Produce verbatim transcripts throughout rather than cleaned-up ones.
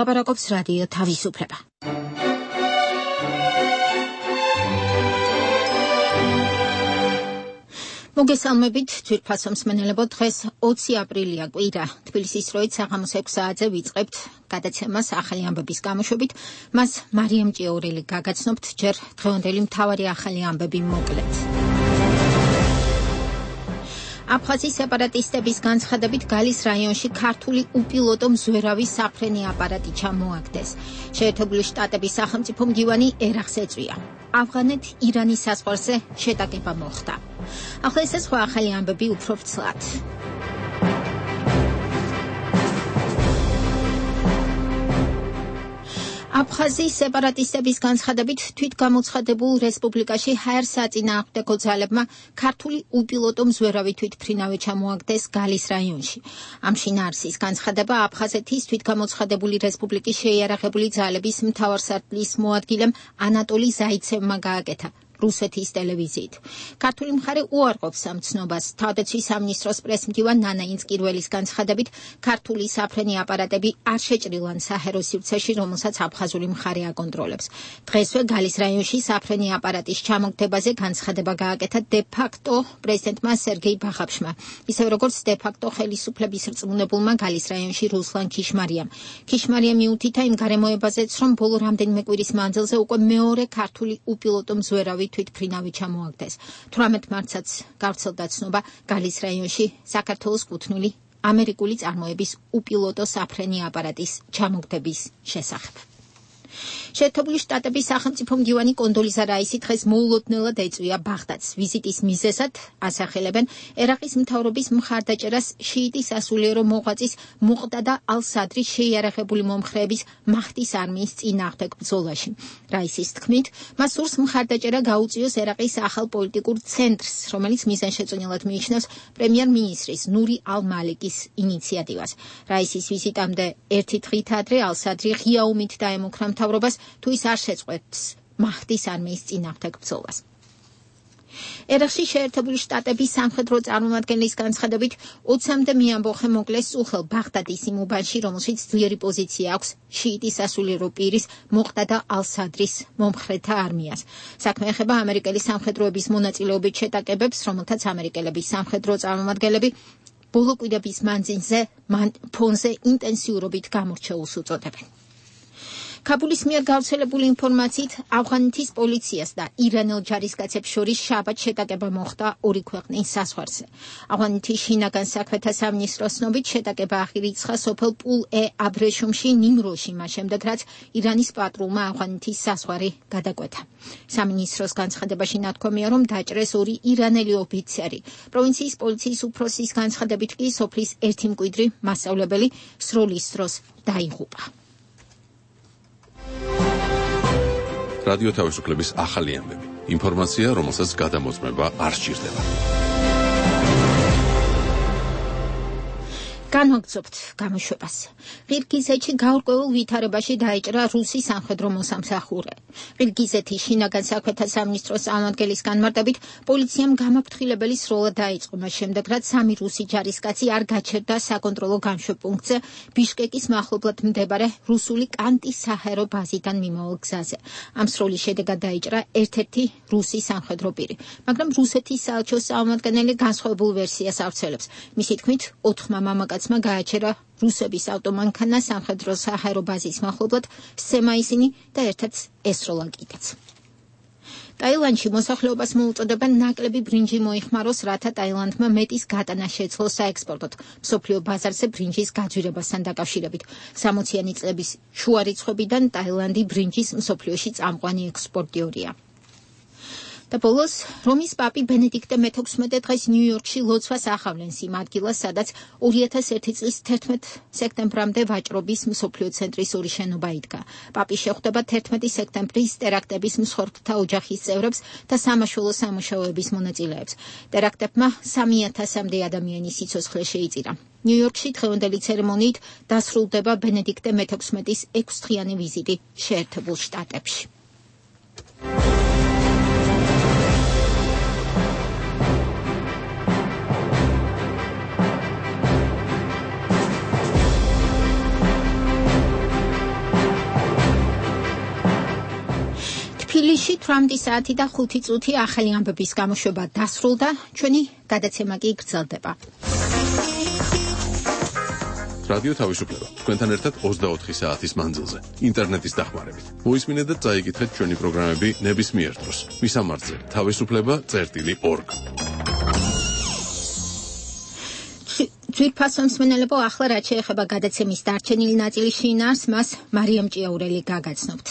ლაპარაკობს რადიო თავისუფლება. მოგესალმებით, ძვირფასო მსმენელებო, დღეს ოცი აპრილია კვირა. თბილისის დროით საღამოს ექვს საათზე ვიწყებთ გადაცემას ახალი ამბების გამოშვებით. მას მარიამ ჭიაურელი გაგაცნობთ, ჯერ დღევანდელი მთავარი ახალი ამბები მოკლედ. აფხაზის სეპარატისტების განცხადებით გალის რაიონში ქართული უპილოტო მზვერავი საფრენი აპარატი ჩამოაგდეს. შეერთებული შტატების სახელმწიფო მდივანი ერახს ეწვია. ავღანეთ-ირანის საზღვარზე შეტაკება მოხდა. ახლა ეს სხვა ახალი ამბები უფრო ფცლად. აფხაზის სეპარატისტების განცხადებით თვითგამოცხადებულ რესპუბლიკაში ჰაერ საწინააღმდეგო ძალებმა ქართული უპილოტო მზვერავი თვითმფრინავი ჩამოაგდეს გალის რაიონში. ამ შინაარსის განცხადება აფხაზეთის თვითგამოცხადებული რესპუბლიკის შეიარაღებული ძალების მთავარსარდლის მოადგილემ ანატოლი ზაიცევმა გააკეთა რუსეთის ტელევიზიით. ქართული მხარე უარყოფს ამ ცნობას. თავდაცვის სამინისტროს პრესმდივან ნანა ინსკირველის განცხადებით ქართული საფრენი აპარატები არ შეჭრილან საჰერო სივრცეში, რომელსაც აფხაზური მხარე აკონტროლებს. დღესვე გალის რაიონში საფრენი აპარატის ჩამოგდებაზე განცხადება გააკეთა დე-ფაქტო პრეზიდენტმა სერგეი ბაღაფშმა, ისევე როგორც დე-ფაქტო ხელისუფლების რწმუნებულმა გალის რაიონში რუსლან ქიშმარიამ. ქიშმარია მიუთითა იმ გარემოებაზეც, რომ ბოლო რამდენიმე კვირის მანძილზე უკვე მეორე ქართული უპილოტო მზვერავი თვითმფრინავი ჩამოაგდეს. თვრამეტ მარტსაც გავრცელდა ცნობა გალის რაიონში საქართველოს კუთვნილი ამერიკული წარმოების უპილოტო საფრენი აპარატის ჩამოგდების შესახებ. შეერთებული შტატების სახელმწიფო მდივანი კონდოლიზა რაისი დღეს მოულოდნელად ეწვია ბაღდადს. ვიზიტის მიზეზად ასახელებენ ერაყის მთავრობის მხარდაჭერას შიიტის სასულიერო მოღვაწის მუყდადა ალ-სადრის შეიარაღებული მომხრეების მაჰდის არმიის წინააღმდეგ ბრძოლაში. რაისის თქმით, მას სურს მხარდაჭერა გაუწიოს ერაყის ახალ პოლიტიკურ ცენტრს, რომელიც მიზანშეწონილად მიიჩნევს პრემიერ-მინისტრის ნური ალ-მალიკის ინიციატივას. რაისის ვიზიტამდე ერთი დღით ადრე ალ-სადრი ღია ომით დაემუქრა მთავრობას, თუ ის არ შეწყვეტს მაჰდის არმიის წინააღმდეგ ბრძოლას. ერაყში შეერთებული შტატების სამხედრო წარმომადგენლის განცხადებით ოცამდე მეამბოხე მოკლეს უხელ ბაღდადის იმ უბანში, რომელშიც ძლიერი პოზიცია აქვს შიიტის სასულიერო პირის მუყდადა ალ-სადრის მომხრეთა არმიას. საქმე ეხება ამერიკელი სამხედროების მონაწილეობით შეტაკებებს, რომელთაც ამერიკელების სამხედრო წარმომადგენლები ბოლო კვირების მანძილზე ფონზე ინტენსიურობით გამორჩეულს უწოდებენ. ქაბულის მიერ გავრცელებული ინფორმაციით ავღანეთის პოლიციას და ირანელ ჯარისკაცებს შორის შაბათ შეტაკება მოხდა ორი ქვეყნის საზღვარზე. ავღანეთის შინაგან საქმეთა სამინისტროს ცნობით შეტაკება აღირიცხა სოფელ პულ-ე-აბრეშუმში ნიმროში, მას შემდეგ რაც ირანის პატრულმა ავღანეთის საზღვარი გადაკვეთა. სამინისტროს განცხადებაში ნათქვამია, რომ დაჭრეს ორი ირანელი ოფიცერი. პროვინციის პოლიციის უფროსის განცხადებით კი სოფლის ერთი მკვიდრი მასწავლებელი სროლის დროს დაიღუპა. რადიო თავისუფლების ახალი ამბები. ინფორმაცია, რომელსაც გადამოწმება არ სჭირდება. განვაგრძობთ გამოშვებას. ყირგიზეთში გაურკვეველ ვითარებაში დაეჭრა რუსი სამხედრო მოსამსახურე. ყირგიზეთის შინაგან საქმეთა სამინისტროს წარმომადგენლის განმარტებით, პოლიციამ გამაფრთხილებელი სროლა დაიწყო მას შემდეგ, რაც სამი რუსი ჯარისკაცი არ გაჩერდა საკონტროლო გამშვებპუნქტზე ბიშკეკის მახლობლად მდებარე რუსული კანტის საჰაერო ბაზიდან მიმავალ გზაზე. ამ სროლის შედეგად დაიჭრა ერთ-ერთი რუსი სამხედრო პირი, მაგრამ რუსეთის საელჩოს წარმომადგენელი განსხვავებულ ვერსიას ავრცელებს. მისი თქმით, ოთხმა მამაკაცმა გააჩერა რუსების ავტომანქანა სამხედრო საჰაერო ბაზის მახლობლად, სცემა ისინი და ერთად ესროლა კიდეც. ტაილანდში მოსახლეობას მოუწოდებენ ნაკლები ბრინჯი მოიხმაროს, რათა ტაილანდმა მეტის გატანა შეძლოს საექსპორტოდ მსოფლიო ბაზარზე ბრინჯის გაძვირებასთან დაკავშირებით. სამოციანი წლების შუა რიცხვებიდან ტაილანდი ბრინჯის მსოფლიოში წამყვანი ექსპორტიორია. და ბოლოს რომის პაპი ბენედიქტე მეთექვსმეტე დღეს ნიუ-იორკში ლოცვას ახავლენს იმ ადგილას, სადაც ორი ათას ერთი წლის თერთმეტ სექტემბრამდე ვაჭრობის მსოფლიო ცენტრის ორი შენობა იდგა. პაპი შეხვდება თერთმეტი სექტემბრის ტერაქტების მსხვერპლთა ოჯახის წევრებს და სამაშველო სამუშაოების მონაწილეებს. ტერაქტებმა სამი ათასამდე ადამიანის სიცოცხლე შეიწირა. ნიუ-იორკში დღევანდელი ცერემონიით დასრულდება ბენედიქტე მეთექვსმეტის ექვსდღიანი ვიზიტი შეერთებულ შტატებში. ოცდაოთხი საათი და ხუთი წუთი ახალი ამბების გამოშვება დასრულდა, ჩვენი გადაცემა კი გრძელდება. რადიო თავისუფლება თქვენთან ერთად ოცდაოთხი საათის მანძილზე ინტერნეტის დახმარებით. მოისმინეთ და წაიკითხეთ ჩვენი პროგრამები ნებისმიერ დროს. მისამართზე თავისუფლება წერტილი ორგ. ძვირფასო მსმენელებო, ახლა რაც შეეხება გადაცემის დარჩენილი ნაწილის შინაარსს, მას მარიამ ჭიაურელი გაგაცნობთ.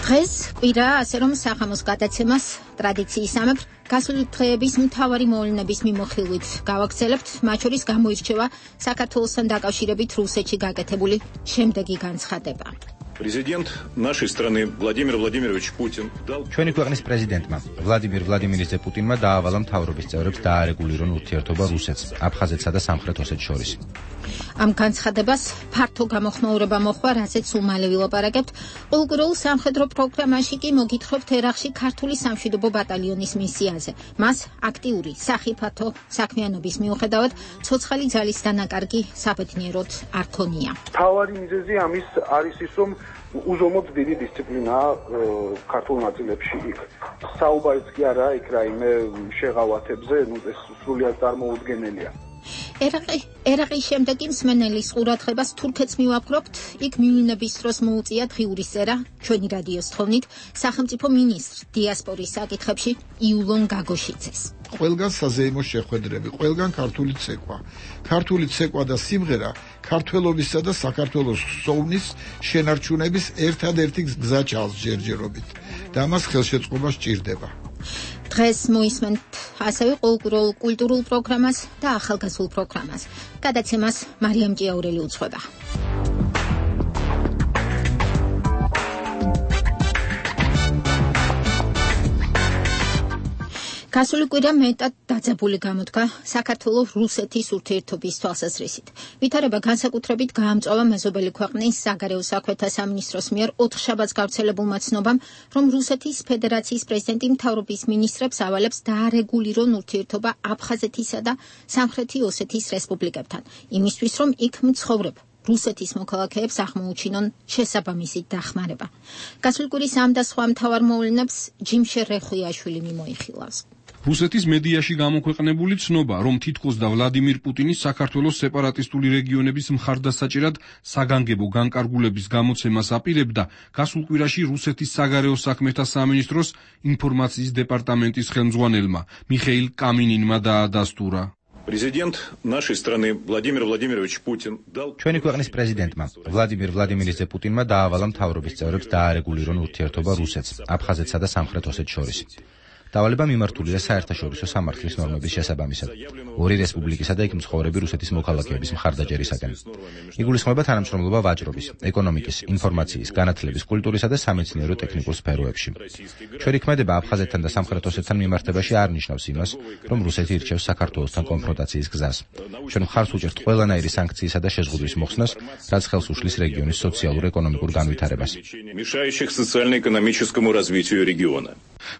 დღეს კვირა, ასე რომ სახამოს გადაცემას ტრადიციისამებრ გასული დღეების მთავარი მოვლენების მიმოხილვით გავაგრძელებთ, მათ შორის გამოირჩევა საქართველოსთან დაკავშირებით რუსეთში გაკეთებული შემდეგი განცხადება. Президент нашей страны Владимир Владимирович Путин дал ჩვენი ქვეყნის პრეზიდენტმა ვლადიმირ ვლადიმირიძე პუტინმა დაავალა მთავრობის წევრებს დაარეგულირონ ურთიერთობა რუსეთს, აფხაზეთსა და სამხრეთ ოსეთს შორის. ამ განცხადებას ფართო გამოხმაურება მოჰყვა, რაზეც უმალე ვილაპარაკებთ. ყოველგვარულ სამხედრო პროგრამაში კი მოგითხრობთ ერახში ქართული სამშვიდობო ბატალიონის მისიაზე. მას აქტიური სახიფათო საქმიანობის მიუხედავად ცოცხალი ძალის დანაკარგი საბედნიეროდ არ ქონია. თავარი მიზეზი ამის არის ის, რომ უზომოდ დიდი დისციპლინაა ქართულ ნაწილებში იქ. საუბარიც კი არა იქ რაიმე შეღავათებზე, ნუ ეს სრულიად წარმოუდგენელია. ერაყი ერაყის შემდეგ მსმენელის ყურადღებას თურქეთს მივაფრობთ, იქ მივლინების დროს მოუწია დღიურის წერა ჩვენი რადიოს თხოვნით სახელმწიფო მინისტრ დიასპორის საკითხებში იულონ გაგოშიძეს. ყველგან საზეიმო შეხვედრები, ყველგან ქართული ცეკვა. ქართული ცეკვა და სიმღერა ქართველობისა და საქართველოს სოვნის შენარჩუნების ერთადერთი გზა ჩანს ჯერჯერობით და მას ხელშეწყობა სჭირდება. დღეს მოისმენთ ასევე ყოველკვირეულ კულტურულ პროგრამას და ახალგაზრდულ პროგრამას. გადაცემას მარიამ ჭიაურელი უძღვება. გასული კვირა მეტად დაძაბული გამოდგა საქართველოს-რუსეთის ურთიერთობის თვალსაზრისით. ვითარება განსაკუთრებით გაამწვავა მეზობელი ქვეყნის საგარეო საქმეთა სამინისტროს მიერ ოთხშაბათს გავრცელებულმა ცნობამ, რომ რუსეთის ფედერაციის პრეზიდენტი მთავრობის მინისტრებს ავალებს დაარეგულირონ ურთიერთობა აფხაზეთისა და სამხრეთი ოსეთის რესპუბლიკებთან, იმისთვის რომ იქ მცხოვრებ რუსეთის მოქალაქეებს აღმოუჩინონ შესაბამისი დახმარება. გასული კვირის ამ და სხვა მთავარ მოვლენებს ჯიმშე რეხუიაშვილი მიმოიხილავს. რუსეთის მედიაში გამოქვეყნებული ცნობა, რომ თითქოს და ვლადიმირ პუტინის საქართველოს სეპარატისტული რეგიონების მხარდასაჭერად საგანგებო განკარგულების გამოცემას აპირებდა, გასულ კვირაში რუსეთის საგარეო საქმეთა სამინისტროს ინფორმაციის დეპარტამენტის ხელმძღვანელმა მიხეილ კამინინმა დაადასტურა. Президент нашей страны Владимир Владимирович Путин дал ჩვენი ქვეყნის პრეზიდენტმა ვლადიმირ ვლადიმირიძე პუტინმა დაავალა მთავრობის წევრებს დაარეგულირონ ურთიერთობა რუსეთს, აფხაზეთსა და სამხრეთ ოსეთს შორის. დავალება მიმართულია საერთაშორისო სამართლის ნორმების შესაბამისად. ორი რესპუბლიკისა და იქ მცხოვრები რუსეთის მოქალაქეების მხარდაჭერისაგან. იგულისხმება თანამშრომლობა ვაჭრობის, ეკონომიკის, ინფორმაციის, განათლების, კულტურისა და სამეცნიერო ტექნიკურ სფეროებში. ჩვენი ქმედება აფხაზეთთან და სამხრეთ ოსეთთან მიმართებაში არ ნიშნავს იმას, რომ რუსეთი ირჩევს საქართველოსთან კონფრონტაციის გზას. ჩვენ მხარს უჭერთ ყველანაირი სანქციისა და შეზღუდვის მოხსნას, რაც ხელს უშლის რეგიონის სოციალურ-ეკონომიკურ განვითარებას. мешающих социально-экономическому развитию региона.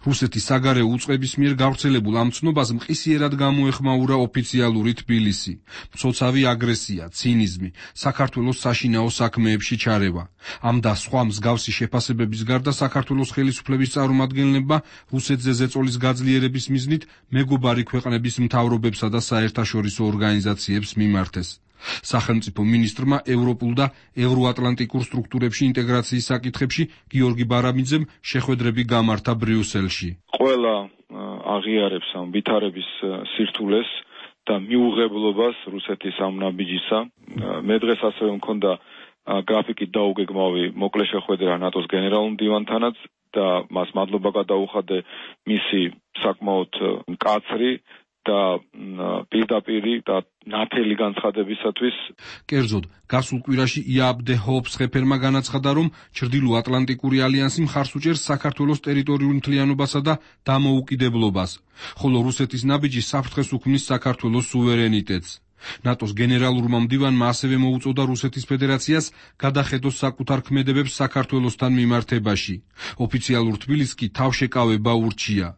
რუსეთის საგარეო უწყების მიერ გავრცელებულ ამ ცნობას მყისიერად გამოეხმაურა ოფიციალური თბილისი. მცოცავი აგრესია, ცინიზმი, საქართველოს საშინაო საქმეებში ჩარევა. ამ და სხვა მსგავსი შეფასებების გარდა საქართველოს ხელისუფლების წარმომადგენლებმა რუსეთზე ზეწოლის გაძლიერების მიზნით მეგობარი ქვეყნების მთავრობებსა და საერთაშორისო ორგანიზაციებს მიმართეს. სახელმწიფო მინისტრმა ევროპულ და ევროატლანტიკურ სტრუქტურებში ინტეგრაციის საკითხებში გიორგი ბარამიძემ შეხვედრები გამართა ბრიუსელში. ყველა აღიარებს ამ ვითარების სირთულეს და მიუღებლობას რუსეთის ამ ნაბიჯისა. მე დღეს ასევე მქონდა გრაფიკით დაუგეგმავი მოკლე შეხვედრა ნატოს გენერალურ მდივანთანაც და მას მადლობა გადაუხადე მისი საკმაოდ მკაცრი და პირდაპირი და ნათელი განცხადებისათვის. კერძოდ, გასულ კვირაში იაბდე ჰოფსხეფერმა განაცხადა, რომ ჩრდილო ატლანტიკური ალიანსი მხარს უჭერს საქართველოს ტერიტორიულ მთლიანობასა და დამოუკიდებლობას, ხოლო რუსეთის ნაბიჯი საფრთხეს უქმნის საქართველოს სუვერენიტეტს. ნატოს გენერალურმა მდივანმა ასევე მოუწოდა რუსეთის ფედერაციას გადახედოს საკუთარ ქმედებებს საქართველოსთან მიმართებაში. ოფიციალურ თბილისს კი თავშეკავება ურჩია.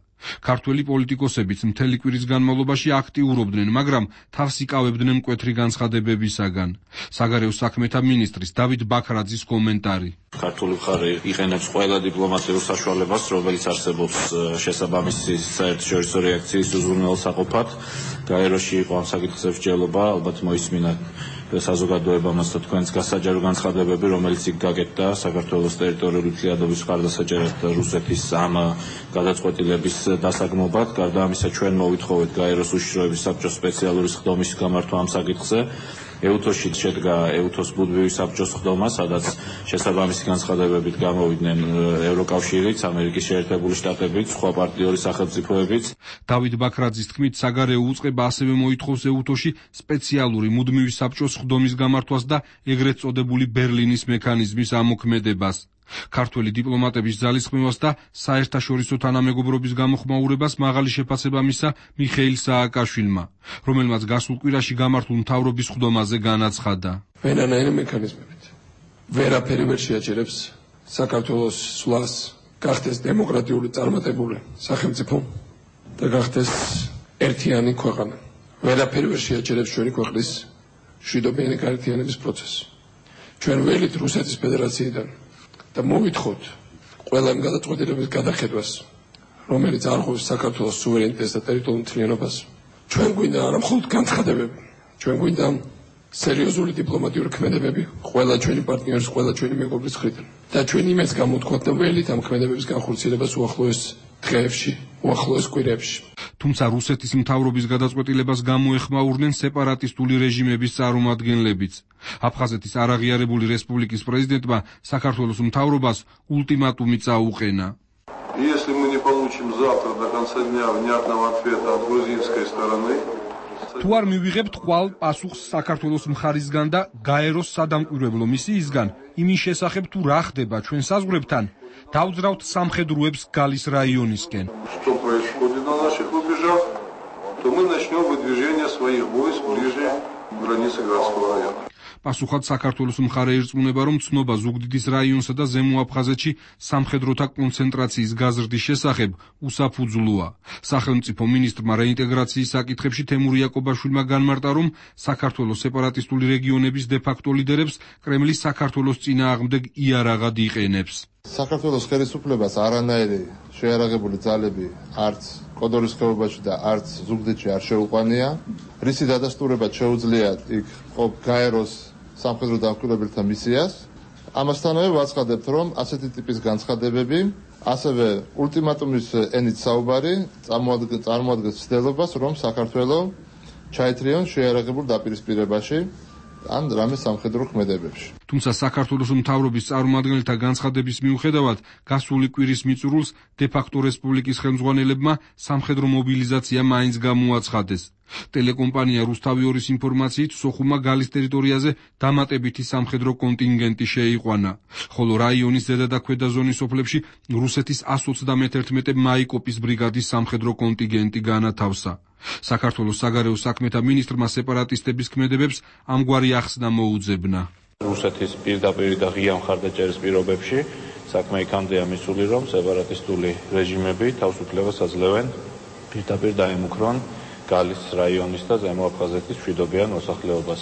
ქართველი პოლიტიკოსებიც მთელი კვირის განმავლობაში აქტიურობდნენ, მაგრამ თავს იკავებდნენ მკვეთრი განცხადებებისაგან. საგარეო საქმეთა მინისტრის დავით ბაქრაძის კომენტარი. ქართული მხარე იყენებს ყველა დიპლომატიურ საშუალებას, რომელიც არსებობს შესაბამისი საერთაშორისო რეაქციის უზრუნველსაყოფად. გაეროში იყო ამ საკითხზე მსჯელობა, ალბათ მოისმინა საზოგადოებამაც და თქვენს გასაჯარო განცხადებები, რომელიც იქ გაკეთდა საქართველოს ტერიტორიული თლიადობის მხარდასაჭერად რუსეთის ამ გადაწყვეტილების დასაგმობად. გარდა ამისა, ჩვენ მოვითხოვეთ გაეროს უშიშროების საბჭოს სპეციალური სხდომის გამართვა ამ საკითხზე. ეუთოში შედგა ეუთოს ბუდბივის საბჭოს სხდომა, სადაც შესაბამისი განცხადებებით გამოვიდნენ ევროკავშირიც, ამერიკის შეერთებული შტატებიც, სხვა პარტნიორი სახელმწიფოებიც. დავით ბაქრაძის თქმით, საგარეო უწყება ასევე მოითხოვს ეუთოში სპეციალური მუდმივი საბჭოს სხდომის გამართვას და ეგრეთ წოდებული ბერლინის მექანიზმის ამოქმედებას. ქართველი დიპლომატების ძალისხმევას და საერთაშორისო თანამეგობრობის გამოხმაურებას მაღალი შეფასება მისცა მიხეილ სააკაშვილმა, რომელმაც გასულ კვირაში გამართულ მთავრობის სხდომაზე განაცხადა. ვერანაირი მექანიზმებით ვერაფერი ვერ შეაჩერებს საქართველოს სვლას, გახდეს დემოკრატიული წარმატებული სახელმწიფო და გახდეს ერთიანი ქვეყანა. ვერაფერი ვერ შეაჩერებს ჩვენი ქვეყნის მშვიდობიანი გაერთიანების პროცესს. ჩვენ ველით რუსეთის ფედერაციიდან და მოვითხოვთ ყველა იმ გადაწყვეტილების გადახედვას, რომელიც არღვევს საქართველოს სუვერენიტეტს და ტერიტორიულ მთლიანობას. ჩვენ გვინდა არა მხოლოდ განცხადებები, ჩვენ გვინდა სერიოზული დიპლომატიური ქმედებები ყველა ჩვენი პარტნიორის, ყველა ჩვენი მეგობრის მხრიდან. და ჩვენ იმას გამოვთქვათ და ველით ამ ქმედებების განხორციელებას უახლოეს დღეებში, უახლოეს კვირებში. თუმცა რუსეთის მთავრობის გადაწყვეტილებას გამოეხმაურნენ სეპარატისტული რეჟიმების წარმომადგენლებიც. აფხაზეთის არაღიარებული რესპუბლიკის პრეზიდენტმა საქართველოს მთავრობას ულტიმატუმი წაუყენა. Если мы не получим завтра до конца дня внятного ответа от грузинской стороны, თუ არ მივიღებთ ხვალ პასუხს საქართველოს მხარისგან და გაეროს სადამკვირვებლო მისიისგან იმის შესახებ თუ რა ხდება ჩვენ საზღვრებთან, დავძრავთ სამხედროებს გალის რაიონისკენ. Что происходит на наших рубежах, то мы начнем выдвижение своих войск ближе к границе Градского района. პასუხად საქართველოს მხარე ირწმუნება, რომ ცნობა ზუგდიდის რაიონსა და ზემო აფხაზეთში სამხედროთა კონცენტრაციის გაზრდის შესახებ უსაფუძვლოა. სახელმწიფო მინისტრმა რეინტეგრაციის საკითხებში თემურ იაკობაშვილმა განმარტა, რომ საქართველოს სეპარატისტული რეგიონების დე-ფაქტო ლიდერებს კრემლი საქართველოს წინააღმდეგ იარაღად იყენებს. საქართველოს ხელისუფლებას არანაირი შეიარაღებული ძალები არც კოდორის ხეობაში და არც ზუგდიდში არ შეუყვანია. რისი დადასტურებად შეუძლია იქ ყოფ გაეროს სამხედრო დამკვირვებელთა მისიას. ამასთანავე ვაცხადებთ, რომ ასეთი ტიპის განცხადებები, ასევე ულტიმატუმის ენით საუბარი წარმოადგენს ცდელობას, რომ საქართველო ჩაეთრიონ შეიარაღებულ დაპირისპირებაში ან რამე სამხედრო ქმედებებში. თუმცა საქართველოს მთავრობის წარმომადგენელთა განცხადების მიუხედავად, გასული კვირის მიწურულს დე-ფაქტო რესპუბლიკის ხელმძღვანელებმა სამხედრო მობილიზაცია მაინც გამოაცხადეს. ტელეკომპანია რუსთავი ორის ინფორმაციით, სოხუმმა გალის ტერიტორიაზე დამატებითი სამხედრო კონტინგენტი შეიყვანა, ხოლო რაიონის ზედა და ქვედა ზონის ოფლებში რუსეთის ას ოცდამეთერთმეტე მაიკოპის ბრიგადის სამხედრო კონტინგენტი განათავსა. საქართველოს საგარეო საქმეთა მინისტრმა სეპარატისტების ქმედებებს ამგვარი ახსნა მოუძებნა. რუსეთის პირდაპირ და ღია მხარდაჭერის პირობებში საქმე იქამდეა მისული, რომ სეპარატისტული რეჟიმები თავისუფლებას აძლევენ პირდაპირ დაემუქრონ გალის რაიონის და ზემო აფხაზეთის მშვიდობიან მოსახლეობას.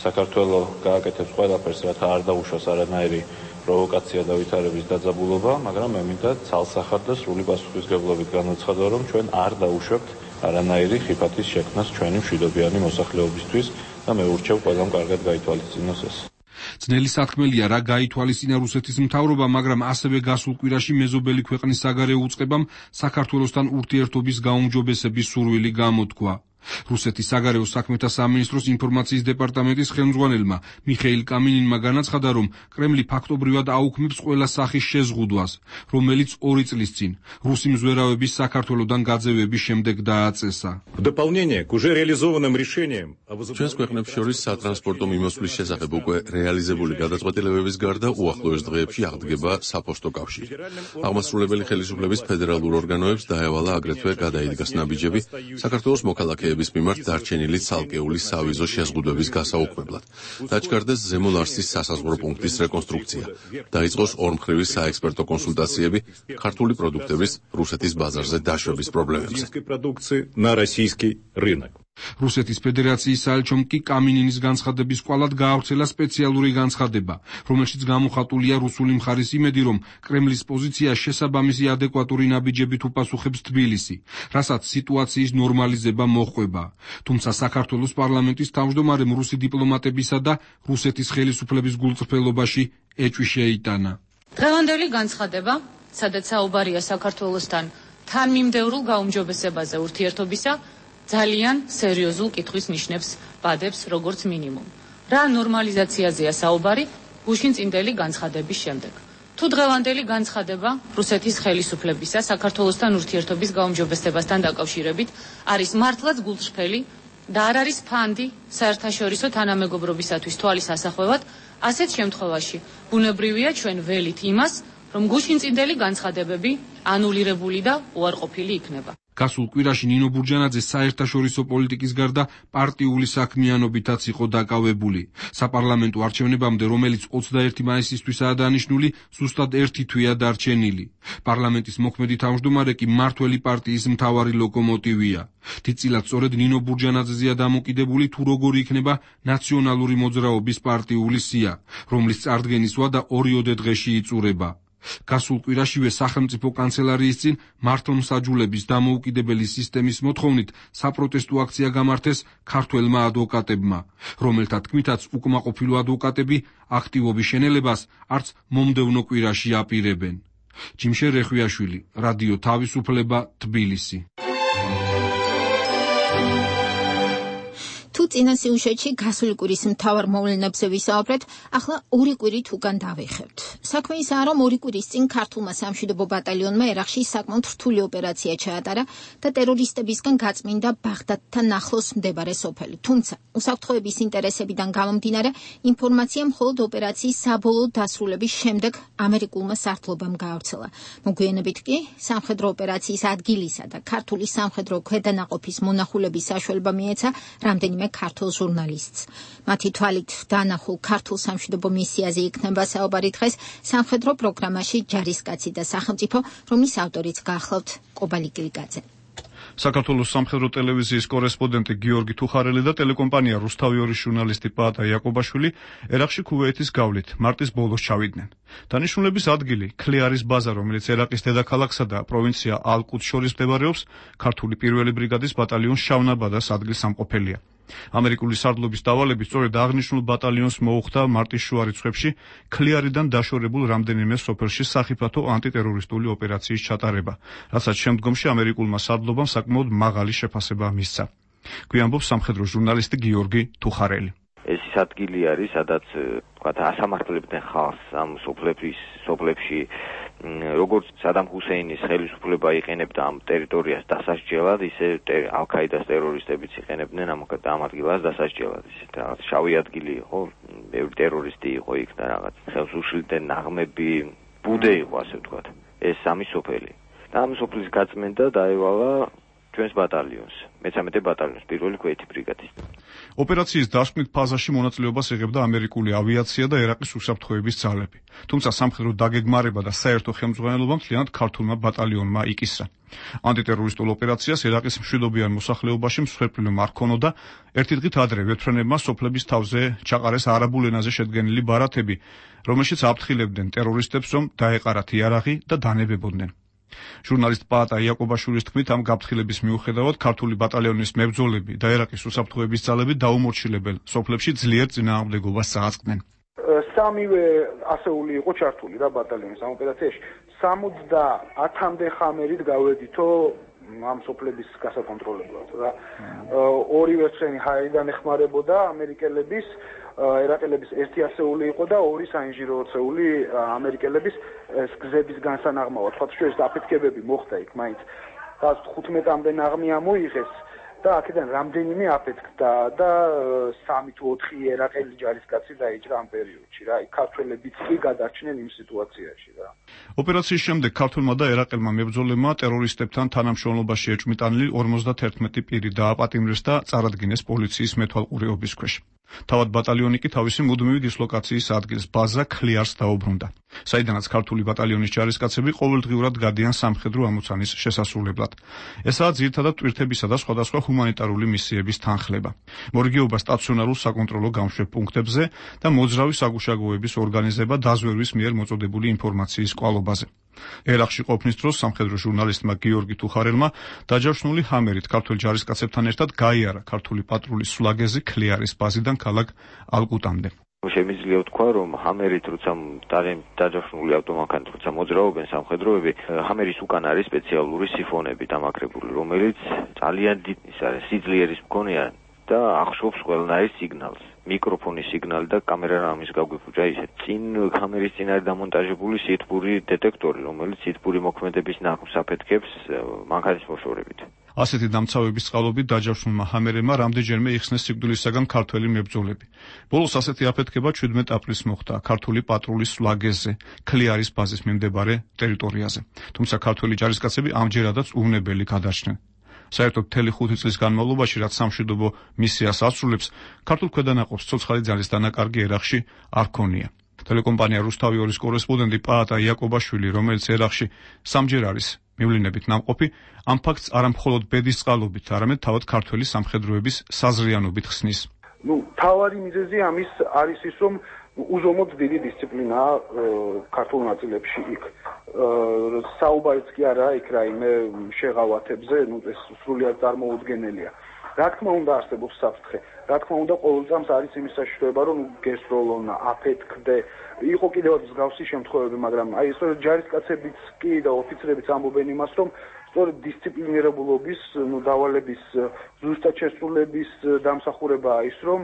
საქართველოს გააკეთებს ყველაფერს, რათა არ დაუშვას არანაირი პროვოკაცია და ვითარების დაძაბულობა, მაგრამ მე მინდა ცალსახად და სრული პასუხისმგებლობით განაცხადო, რომ ჩვენ არ დაუშვებთ არანაირი ხიფათის შექმნას ჩვენი მშვიდობიანი მოსახლეობისთვის და მე ურჩევ ყველამ კარგად გაითვალისწინოს ეს. ძნელი სათქმელია, რა გაითვალისწინა რუსეთის მთავრობა, მაგრამ ასევე გასულ კვირაში მეზობელი ქვეყნის საგარეო უწყებამ საქართველოსთან ურთიერთობის გაუმჯობესების სურვილი გამოთქვა. რუსეთის საგარეო საქმეთა სამინისტროს ინფორმაციის დეპარტამენტის ხელმძღვანელმა მიხეილ კამინინმა განაცხადა, რომ კრემლი ფაქტობრივად აუქმებს ყველა სახის შეზღუდვას, რომელიც ორი წლის წინ რუსი მზვერავების საქართველოსთან გაძევების შემდეგ დააწესა. ჩვენს ქვეყნებს შორის სატრანსპორტო მიმოსვლის შესახებ უკვე რეალიზებული გადაწყვეტილებების გარდა უახლოეს დღეებში აღდგება საფოსტო კავშირი. აღმასრულებელი ხელისუფლების ფედერალურ ორგანოებს დაევალა აგრეთვე გადაიდგას ნაბიჯები საქართველოს მოქალაქეების პოლიციების მიმართ დარჩენილი ცალკეული სავიზო შეზღუდვების გასაუქმებლად. დაჩქარდეს ზემო ლარსის სასაზღვრო პუნქტის რეკონსტრუქცია. დაიწყოს ორმხრივი საექსპერტო კონსულტაციები ქართული პროდუქტების რუსეთის ბაზარზე დაშვების პრობლემებზე. რუსეთის ფედერაციის საელჩომ კი კამინინის განცხადების კვალად გაავრცელა სპეციალური განცხადება, რომელშიც გამოხატულია რუსული მხარის იმედი, რომ კრემლის პოზიცია შესაბამისი ადეკვატური ნაბიჯებით უპასუხებს თბილისი, რასაც სიტუაციის ნორმალიზება მოჰყვება. თუმცა საქართველოს პარლამენტის თავმჯდომარემ რუსი დიპლომატებისა და რუსეთის ხელისუფლების გულწრფელობაში ეჭვი შეიტანა. დღევანდელი განცხადება, სადაც საუბარია საქართველოსთან თანმიმდევრულ გაუმჯობესებაზე ურთიერთობისა, ძალიან სერიოზულ კითხვის ნიშნებს ბადებს როგორც მინიმუმ. რა ნორმალიზაციაზეა საუბარი გუშინწინდელი განცხადების შემდეგ. თუ დღევანდელი განცხადება რუსეთის ხელისუფლებისა საქართველოსთან ურთიერთობის გაუმჯობესებასთან დაკავშირებით არის მართლაც გულწრფელი და არ არის ფანდი საერთაშორისო თანამეგობრობისათვის თვალის ასახვევად, ასეთ შემთხვევაში ბუნებრივია ჩვენ ველით იმას, რომ გუშინწინდელი განცხადებები ანულირებული და უარყოფილი იქნება. გასულ კვირაში ნინო ბურჯანაძე საერთაშორისო პოლიტიკის გარდა პარტიული საქმიანობითაც იყო დაკავებული. საპარლამენტო არჩევნებამდე, რომელიც ოცდაერთი მაისისთვისაა დანიშნული, ზუსტად ერთი თვეა დარჩენილი. პარლამენტის მოქმედი თავმჯდომარე კი მმართველი პარტიის მთავარი ლოკომოტივია. დიდწილად სწორედ ნინო ბურჯანაძეზეა დამოკიდებული, თუ როგორი იქნება ნაციონალური მოძრაობის პარტიული სია, რომლის წარდგენის ვადა ორიოდე დღეში იწურება. გასულ კვირაშივე სახელმწიფო კანცელარიის წინ მართლმსაჯულების დამოუკიდებელი სისტემის მოთხოვნით საპროტესტო აქცია გამართეს ქართველმა ადვოკატებმა, რომელთა თქმითაც უკმაყოფილო ადვოკატები აქტივობის შენელებას არც მომდევნო კვირაში აპირებენ. ჯიმშე რეხვიაშვილი, რადიო თავისუფლება, თბილისი. თუ წინა სიუჟეტში გასული კვირის მთავარ მოვლენებზე ვისაუბრეთ, ახლა ორი კვირით უკან დავეხევთ. საქმე ისაა, რომ ორი კვირის წინ ქართულმა სამშვიდობო ბატალიონმა ერაყში საკმაოდ რთული ოპერაცია ჩაატარა და ტერორისტებისგან გაწმინდა ბაღდადთან ახლოს მდებარე სოფელი. თუმცა, უსაფრთხოების ინტერესებიდან გამომდინარე, ინფორმაცია მხოლოდ ოპერაციის საბოლოო დასრულების შემდეგ ამერიკულმა სარდლობამ გაავრცელა. მოგვიანებით კი სამხედრო ოპერაციის ადგილისა და ქართული სამხედრო ქვედანაყოფის მონახულების საშუალება მიეცა რამდენიმე ქართულ ჟურნალისტს. მათი თვალით დანახულ ქართულ სამშვიდობო მისიაზე იქნება საუბარი დღეს სამხედრო პროგრამაში ჯარისკაცი და სახელმწიფო, რომლის ავტორიც გახლავთ კობალი გრიგაძე. საქართველოს სამხედრო ტელევიზიის კორესპონდენტი გიორგი თუხარელი და ტელეკომპანია რუსთავიორის ჟურნალისტი პაატა იაკობაშვილი ერაყში ქუვეითის გავლით მარტის ბოლოს ჩავიდნენ. დანიშნულების ადგილი ქლიარის ბაზა, რომელიც ერაყის დედაქალაქსა და პროვინცია ალ-კუდს შორის მდებარეობს, ქართული პირველი ბრიგადის ბატალიონს შავნაბადას ადგილსამყოფელია. ამერიკული სარდლობის დავალებით სწორედ აღნიშნულ ბატალიონს მოუხდა მარტის შუა რიცხვებში ქლიარიდან დაშორებულ რამდენიმე სოფელში სახიფათო ანტიტერორისტული ოპერაციის ჩატარება, რასაც შემდგომში ამერიკულმა სარდლობამ საკმაოდ მაღალი შეფასება მისცა. გვიანბობს სამხედრო ჟურნალისტი გიორგი თუხარელი. ეს ის ადგილი არის, სადაც თქვათ ასამართლებდნენ ხალხს ამ სოფლების სოფლებში, როგორც სადამ ჰუსეინის ხელისუფლება იყენებდა ამ ტერიტორიას დასასჯელად, ისე ალ-ქაიდას ტერორისტებიც იყენებდნენ ამ ამ ადგილას დასასჯელად. ისე რაღაც შავი ადგილი იყო, ბევრი ტერორისტი იყო იქ და რაღაც ხელს უშლიდნენ ნაღმები, ბუდე იყო, ასე ვთქვათ. ეს სამი სოფელი. და ამ სოფლის გაწმენდა დაევალა ჩვენს ბატალიონს, მესამედე ბატალიონს, პირველი ქვეითი ბრიგადის. ოპერაციის დასკვნით ფაზაში მონაწილეობას იღებდა ამერიკული ავიაცია და ერაყის უსაფრთხოების ძალები. თუმცა სამხედრო დაგეგმარება და საერთო ხელმძღვანელობა მთლიანად ქართულმა ბატალიონმა იკისრა. ანტიტერორისტულ ოპერაციას ერაყის მშვიდობიან მოსახლეობაში მსხვერპლი არ ქონოდა. ერთი დღით ადრე ვეთფრენებმა სოფლების თავზე ჩაყარეს არაბულ ენაზე შედგენილი ბარათები, რომელშიც აფრთხილებდნენ ტერორისტებს, რომ დაეყარათ იარაღი და დანებებოდნენ. ჟურნალისტ პაატა იაკობაშვილის თქმით, ამ გაფრთხილების მიუხედავად ქართული ბატალიონის მებრძოლები და ერაყის უსაფრთხოების ძალები დაუმორჩილებელ სოფლებში ძლიერ წინააღმდეგობას წააწყდნენ. სამივე ასეული იყო ჩართული რა ბატალიონის ამ ოპერაციაში. სამოცდაათამდე ხამერით გავედითო ამ სოფლების გასაკონტროლებლად რა. ორი ვერცხლიანი ჰაერიდან ეხმარებოდა ამერიკელების, ერაყელების ერთი ასეული იყო და ორი საინჟინრო ასეული ამერიკელების გზების განსანაღმავად. თქვათ შეიძლება აფეთქებები მოხდა იქ მაინც. და თხუთმეტამდე ნაღმი ამოიღეს და აქედან რამდენიმე აფეთქდა და სამი თუ ოთხი ერაყელი ჯარისკაცი დაიჭრა ამ პერიოდში რა. ქართველებიც კი გადარჩნენ იმ სიტუაციაში რა. ოპერაციის შემდეგ ქართველმა და ერაყელმა მებრძოლებმა ტერორისტებთან თანამშრომლობაში ეჭვმიტანილი ორმოცდაათი პირი დააპატიმრეს და წარადგინეს პოლიციის მეთვალყურეობის ქვეშ. თავად ბატალიონი კი თავისი მუდმივი დისლოკაციის ადგილს ბაზა ქლიარს დაუბრუნდა, საიდანაც ქართული ბატალიონის ჯარისკაცები ყოველდღიურად გადიან სამხედრო ამოცანის შესასრულებლად. ესაა ძირითადად ტვირთებისა და სხვადასხვა ჰუმანიტარული მისიების თანხლება, მორიგეობა სტაციონარულ საკონტროლო გამშვებ პუნქტებზე და მოძრავი საგუშაგოების ორგანიზება დაზვერვის მიერ მოწოდებული ინფორმაციის კვალობაზე. ერაყში ყოფნის დროს სამხედრო ჟურნალისტმა გიორგი თუხარელმა დაჯავშნული ჰამერით ქართველ ჯარისკაცებთან ერთად გაიარა ქართული პატრულის სულაგეზი ქლიარის ბაზიდან ქალაქ ალკუტამდე. შემიძლია ვთქვა, რომ ჰამერით როცა დაჯავშნული ავტომანქანით როცა მოძრაობენ სამხედროები, ჰამერის უკან არის სპეციალური სიფონები დამაგრებული, რომელიც ძალიან დიდ სიძლიერის მქონეა და ახშობს ყველანაირ სიგნალს. მიკროფონის სიგნალი და კამერა რამის გაგვიფუჭა ისე. წინ კამერის წინ არის დამონტაჟებული სითბური დეტექტორი, რომელიც სითბური მოქმედების ნაყოფს აფეთქებს მანქანის მოშორებით. ასეთი დამცავების წყალობით დაჯავშნულმა ჰამერებმა რამდენჯერმე იხსნეს სიკვდილისაგან ქართველი მებრძოლები. ბოლოს ასეთი აფეთქება შვიდმეტ აპრილს მოხდა ქართული პატრულის სულაგეზზე, ქლიარის ბაზის მიმდებარე ტერიტორიაზე. თუმცა ქართველი ჯარისკაცები ამჯერადაც უვნებელი გადარჩნენ. საერთოდ მთელი ხუთი წლის განმავლობაში, რაც სამშვიდობო მისიას ასრულებს, ქართულ ქვედანაყოფს ცოცხალი ძალის დანაკარგი ერაყში არ ქონია. ტელეკომპანია რუსთავი ორის კორესპონდენტი პაატა იაკობაშვილი, რომელიც ერაყში სამჯერ არის მივლინებით ნამყოფი, ამ ფაქტს არამხოლოდ ბედის წყალობით, არამედ თავად ქართველი სამხედროების საზრიანობით ხსნის. ნუ თავარი მიზეზი ამის არის ის, რომ უზომოდ დიდი დისციპლინაა ქართულ ნაწილებში იქ. საუბარიც კი არა იქ რაიმე შეღავათებზე, ნუ ეს სრულიად წარმოუდგენელია. რა თქმა უნდა არსებობს საფრთხე. რა თქმა უნდა ყოველ წამს არის იმის საშიშროება, რომ გესროლონა, აფეთქდე. იყო კიდევ მსგავსი შემთხვევები, მაგრამ აი ეს ჯარისკაცებიც კი და ოფიცრებიც ამბობენ იმას, რომ სწორედ დისციპლინირებულობის, ნუ დავალების ზუსტად შესრულების დამსახურებაა ის, რომ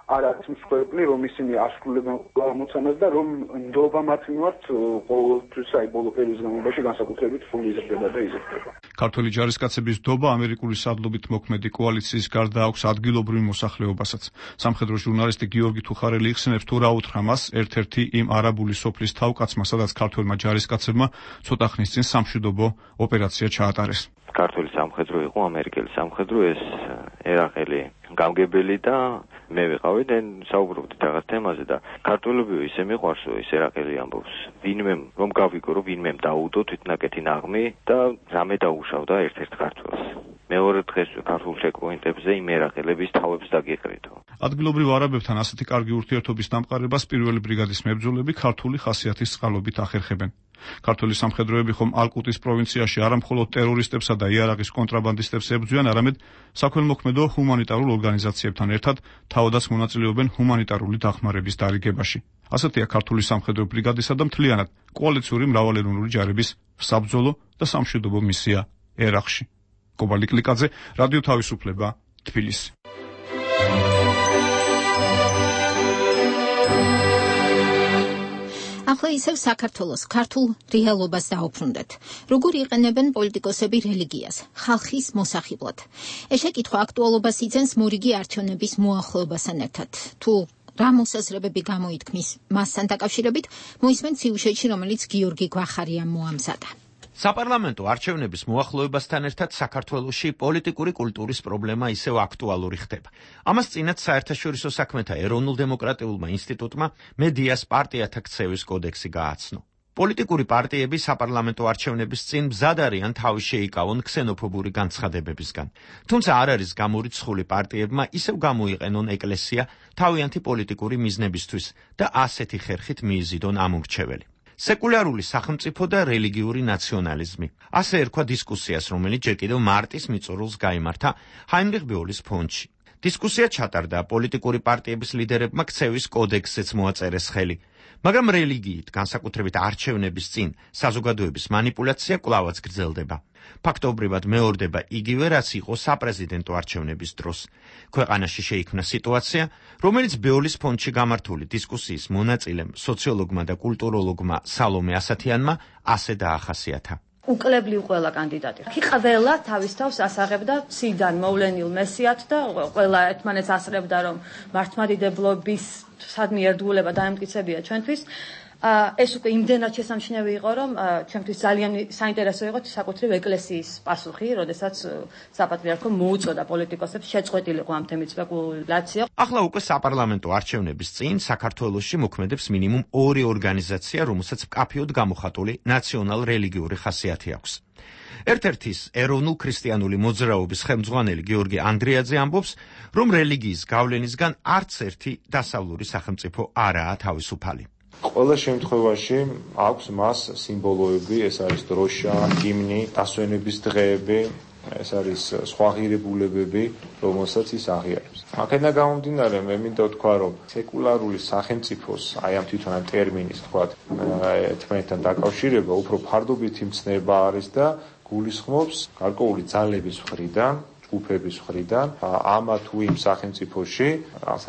არ არის მსხვერპლი, რომ ისინი ასრულებენ ამოცანას და რომ ნდობა მათ მიმართ ყოველთვის აი ბოლო პერიოდის განმავლობაში განსაკუთრებით სრული იზრდება და იზრდება. ქართველი ჯარისკაცების ნდობა ამერიკული სადლობით მოქმედი კოალიციის გარდა აქვს ადგილობრივ მოსახლეობასაც. სამხედრო ჟურნალისტი გიორგი თუხარელი იხსენებს, თუ რა უთხრა მას ერთ-ერთი იმ არაბული სოფლის თავკაცმა, სადაც ქართველმა ჯარისკაცებმა ცოტა ხნის წინ სამშვიდობო ოპერაცია ჩაატარეს. ქართული სამხედრო იყო, ამერიკელი სამხედრო, ეს ერაყელი გამგებელი და მე ვიყავი და საუბრობდით რაღაც თემაზე და ქართველები ისე მიყვარსო, ის ერაყელი ამბობს, ვინმე რომ გავიგო, რომ ვინმე დაუდო თვითნაკეთი ნაღმი და რამე დაუშავდა ერთ-ერთ ქართველს. მეორე დღეს ქართულ ჩეკპოინტებზე იმ ერაყელების თავებს დაგიყრითო. ადგილობრივ არაბებთან ასეთი კარგი ურთიერთობის დამყარებას პირველი ბრიგადის მებრძოლები ქართული ხასიათის წყალობით ახერხებენ. ქართული სამხედროები ხომ ალკუტის პროვინციაში არამხოლოდ ტერორისტებსა და იარაღის კონტრაბანდისტებს ებრძვიან, არამედ საქველმოქმედო ჰუმანიტარულ ორგანიზაციებთან ერთად თავადაც მონაწილეობენ ჰუმანიტარული დახმარების დარიგებაში. ასეთია ქართული სამხედრო ბრიგადისა და მთლიანად კოალიციური მრავალეროვნული ჯარების საბრძოლო და სამშვიდობო მისია ერაყში. კობალი კლიკაძე, რადიო თავისუფლება, თბილისი. ახლა ისევ საქართველოს ქართულ რეალობას დაუბრუნდეთ. როგორ იყენებენ პოლიტიკოსები რელიგიას ხალხის მოსახიბლად? ეს შეკითხვა აქტუალობას იძენს მორიგი არჩევნების მოახლოებასთან ერთად. თუ რა მოსაზრებები გამოითქმის მასთან დაკავშირებით, მოისმენთ სიუჟეტში, რომელიც გიორგი გვახარიამ მოამზადა. საპარლამენტო არჩევნების მოახლოებასთან ერთად საქართველოში პოლიტიკური კულტურის პრობლემა ისევ აქტუალური ხდება. ამას წინათ საერთაშორისო საქმეთა ეროვნულ-დემოკრატიულმა ინსტიტუტმა მედიას პარტიათა ქცევის კოდექსი გააცნო. პოლიტიკური პარტიები საპარლამენტო არჩევნების წინ მზად არიან თავი შეიკავონ ქსენოფობური განცხადებებისგან. თუმცა არ არის გამორიცხული პარტიებმა ისევ გამოიყენონ ეკლესია თავიანთი პოლიტიკური მიზნებისთვის და ასეთი ხერხით მიიზიდონ ამ ურჩეველი. სეკულარული სახელმწიფო და რელიგიური ნაციონალიზმი. ასე ერქვა დისკუსიას, რომელიც ჯერ კიდევ მარტის მიწურულს გაიმართა ჰაინრიხ ბეოლის ფონდში. დისკუსია ჩატარდა, პოლიტიკური პარტიების ლიდერებმა ქცევის კოდექსზეც მოაწერეს ხელი. მაგრამ რელიგიით, განსაკუთრებით არჩევნების წინ, საზოგადოების манипуляცია კვლავაც გრძელდება. ფაქტობრივად მეორდება იგივე, რაც იყო საპრეზიდენტო არჩევნების დროს. ქვეყანაში შეიქმნა სიტუაცია, რომელიც ბეოლის ფონდში გამართული დისკუსიის მონაწილემ, სოციოლოგმა და კულტუროლოგმა სალომე ასათიანმა ასე დაახასიათა. უკლებლივ ყველა კანდიდატი. კი ყველა თავის თავს ასაღებდა ციდან მოვლენილ მესიათ და ყველა ერთმანეთს ასწრებდა, რომ მართლმადიდებლობის სადმე ერთგულება დაემტკიცებია ჩვენთვის. ეს უკვე იმდენად შესამჩნევი იყო, რომ ჩვენთვის ძალიან საინტერესო იყო საკუთრივ ეკლესიის პასუხი, როდესაც საპატრიარქომ მოუწოდა პოლიტიკოსებს შეწყვეტილიყო ამ თემის სპეკულაცია. ახლა უკვე საპარლამენტო არჩევნების წინ საქართველოში მოქმედებს მინიმუმ ორი ორგანიზაცია, რომელსაც მკაფიოდ გამოხატული ნაციონალ-რელიგიური ხასიათი აქვს. ერთ-ერთის ეროვნულ ქრისტიანული მოძრაობის ხელმძღვანელი გიორგი ანდრიაძე ამბობს, რომ რელიგიის გავლენისგან არც ერთი დასავლური სახელმწიფო არაა თავისუფალი. ყველა შემთხვევაში აქვს მას სიმბოლოები, ეს არის დროშა, ჰიმნი, დასვენების დღეები, ეს არის სხვა ღირებულებები, რომელსაც ის აღიარებს. აქედან გამომდინარე, მე მინდა ვთქვა, რომ სეკულარული სახელმწიფოს, აი ამ თვითონ ამ ტერმინის თქვა, ერთმანეთთან დაკავშირება უფრო ფარდობითი მცნება არის და გულისხმობს გარკვეული ძალების მხრიდან, ჯგუფების მხრიდან, ამა თუ იმ სახელმწიფოში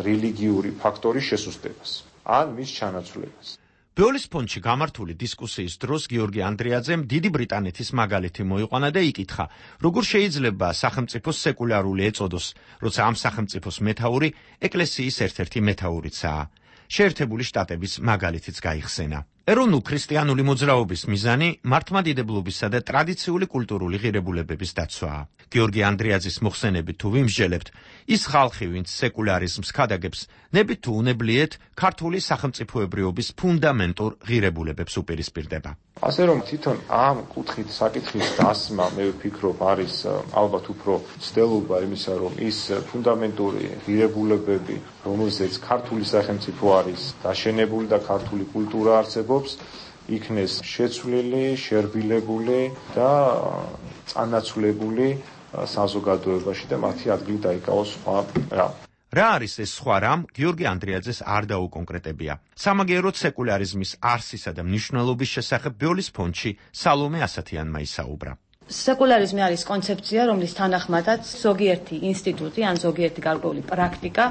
რელიგიური ფაქტორის შესუსტებას. ან მის ჩანაცვლებას. ბეოლის ფონდში გამართული დისკუსიის დროს გიორგი ანდრიაძემ დიდი ბრიტანეთის მაგალითი მოიყვანა და იკითხა, როგორ შეიძლება სახელმწიფოს სეკულარული ეწოდოს, როცა ამ სახელმწიფოს მეთაური ეკლესიის ერთ-ერთი მეთაურიცაა. შეერთებული შტატების მაგალითიც გაიხსენა. ეროვნულ ქრისტიანული მოძრაობის მიზანი მართლმადიდებლობისა და ტრადიციული კულტურული ღირებულებების დაცვაა. გიორგი ანდრიაძის მოხსენებით თუ ვიმსჯელებთ, ის ხალხი, ვინც სეკულარიზმს ქადაგებს, ნებით თუ უნებლიეთ ქართული სახელმწიფოებრიობის ფუნდამენტურ ღირებულებებს უპირისპირდება. ასე რომ თვითონ ამ კუთხით საკითხის დასმა, მე ვფიქრობ, არის ალბათ უფრო ცდელობა იმისა, რომ ის ფუნდამენტური ღირებულებები, რომელზეც ქართული სახელმწიფო არის დაშენებული და ქართული კულტურა არსებობს, იქნეს შეცვლილი, შერბილებული და წანაცვლებული საზოგადოებაში და მათი ადგილი დაიკავოს სხვა რამ. რა არის ეს სხვა რამ? გიორგი ანდრიაძეს არ დაუკონკრეტებია. სამაგიეროდ სეკულარიზმის არსისა და მნიშვნელობის შესახებ ბეოლის ფონდში სალომე ასათიანმა ისაუბრა. სეკულარიზმი არის კონცეფცია, რომლის თანახმადაც ზოგიერთი ინსტიტუტი ან ზოგიერთი გარკვეული პრაქტიკა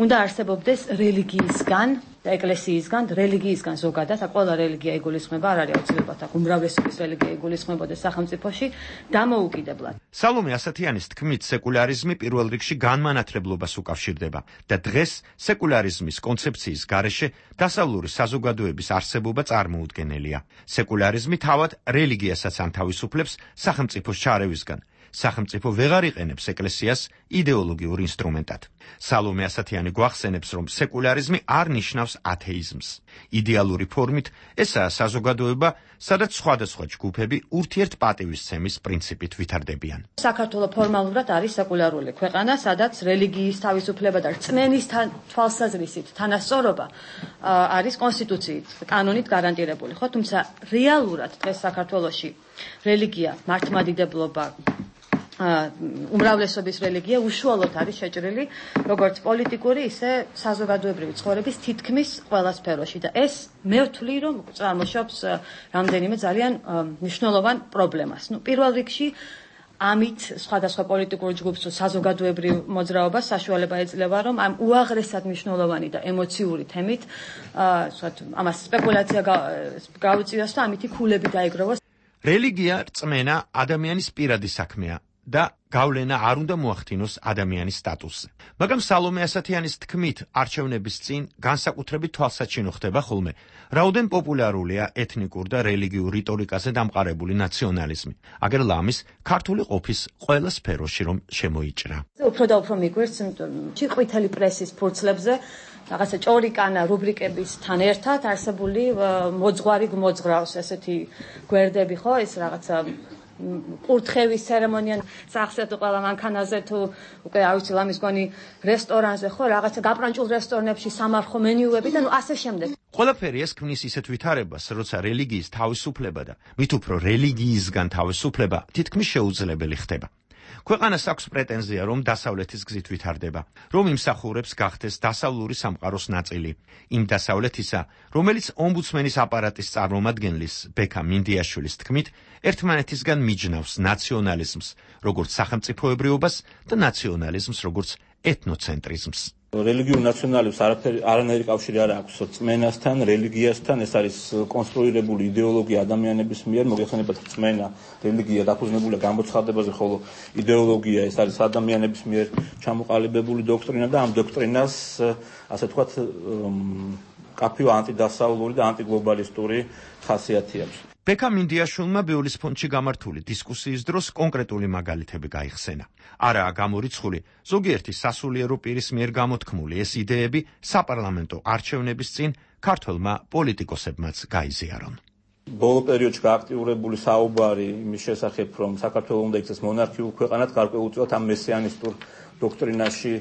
უნდა არსებობდეს რელიგიისგან და ეკლესიისგან, რელიგიისგან ზოგადად, აქ ყველა რელიგია იგულისხმება, არ არის აუცილებლად აქ უმრავლესობის რელიგია იგულისხმებოდეს სახელმწიფოში, დამოუკიდებლად. სალომე ასათიანის თქმით, სეკულარიზმი პირველ რიგში განმანათლებლობას უკავშირდება და დღეს სეკულარიზმის კონცეფციის გარეშე დასავლური საზოგადოების არსებობა წარმოუდგენელია. სეკულარიზმი თავად რელიგიასაც ანთავისუფლებს სახელმწიფოს ჩარევისგან. სახელმწიფო ვეღარ იყენებს ეკლესიას იდეოლოგიურ ინსტრუმენტად. სალომე ასათიანი გვახსენებს, რომ სეკულარიზმი არ ნიშნავს ათეიზმს. იდეალური ფორმით ესაა საზოგადოება, სადაც სხვადასხვა ჯგუფები ურთიერთპატივისცემის პრინციპით ვითარდებიან. საქართველო ფორმალურად არის სეკულარული ქვეყანა, სადაც რელიგიის თავისუფლება და რწმენის თვალსაზრისით თანასწორობა არის კონსტიტუციით, კანონით გარანტირებული, ხო? თუმცა რეალურად დღეს საქართველოში რელიგია, მართლმადიდებლობა, უმრავლესობის რელიგია უშუალოდ არის შეჭრილი როგორც პოლიტიკური, ისე საზოგადოებრივი ცხოვრების თითქმის ყველა სფეროში და ეს მე ვთვლი, რომ წარმოშობს რამდენიმე ძალიან მნიშვნელოვან პრობლემას. ნუ პირველ რიგში ამით სხვადასხვა პოლიტიკურ ჯგუფს თუ საზოგადოებრივ მოძრაობას საშუალება ეძლევა, რომ ამ უაღრესად მნიშვნელოვანი და ემოციური თემით ამას სპეკულაცია გაუწიოს და ამითი ქულები დაიგროვოს. რელიგია, რწმენა ადამიანის პირადი საქმეა და გავლენა არ უნდა მოახდინოს ადამიანის სტატუსზე. მაგრამ სალომე ასათიანის თქმით, არჩევნების წინ განსაკუთრებით თვალსაჩინო ხდება ხოლმე, რაოდენ პოპულარულია ეთნიკურ და რელიგიურ რიტორიკაზე დამყარებული ნაციონალიზმი. აგერ ლამის ქართული ყოფის ყველა სფეროში რომ შემოიჭრა. უფრო და უფრო მიგვერდს ყვითელი პრესის ფურცლებზე რაღაცა ჭორიკანა რუბრიკებისთან ერთად არსებული მოძღვარი გმოძღრავს ესეთი გვერდები, ხო, ეს რაღაცა კურთხევის ცერემონია სახსე თუ ყველა მანქანაზე თუ უკვე არ ვიცი ლამის გონი რესტორანზე, ხო, რაღაცა გაპრანჭულ რესტორნებში სამარხო მენიუები და ნუ ასე შემდეგ. ყველაფერი ეს ქმნის ისეთ ვითარებას, როცა რელიგიის თავისუფლება და მით უფრო რელიგიისგან თავისუფლება თითქმის შეუძლებელი ხდება. ქვეყანას აქვს პრეტენზია, რომ დასავლეთის გზით ვითარდება, რომ იმსახურებს გახდეს დასავლური სამყაროს ნაწილი, იმ დასავლეთისა, რომელიც ომბუდსმენის აპარატის წარმომადგენლის ბექა მინდიაშვილის თქმით, ერთმანეთისგან მიჯნავს ნაციონალიზმს, როგორც სახელმწიფოებრიობას და ნაციონალიზმს, როგორც ეთნოცენტრიზმს. რელიგიურ ნაციონალებს არაფერი არანაირი კავშირი არ აქვს რწმენასთან, რელიგიასთან, ეს არის კონსტრუირებული იდეოლოგია ადამიანების მიერ, მოგეხსენებათ რწმენა, რელიგია დაფუძნებულია გამოცხადებაზე, ხოლო იდეოლოგია ეს არის ადამიანების მიერ ჩამოყალიბებული დოქტრინა და ამ დოქტრინას, ასე ვთქვათ, კაფეო ანტიდასავლური და ანტიგლობალისტური ხასიათი აქვს. ბექა მინდიაშვილმა ბეულის ფონდში გამართული დისკუსიის დროს კონკრეტული მაგალითები გაიხსენა. არაა გამორიცხული ზოგიერთი სასულიერო პირის მიერ გამოთქმული ეს იდეები საპარლამენტო არჩევნების წინ ქართველმა პოლიტიკოსებმაც გაიზიარონ. ბოლო პერიოდში გააქტიურებული საუბარი იმის შესახებ, რომ საქართველოს უნდა იქცეს მონარქიულ ქვეყანად, გარკვეულწილად ამ მესიანისტურ დოქტრინაში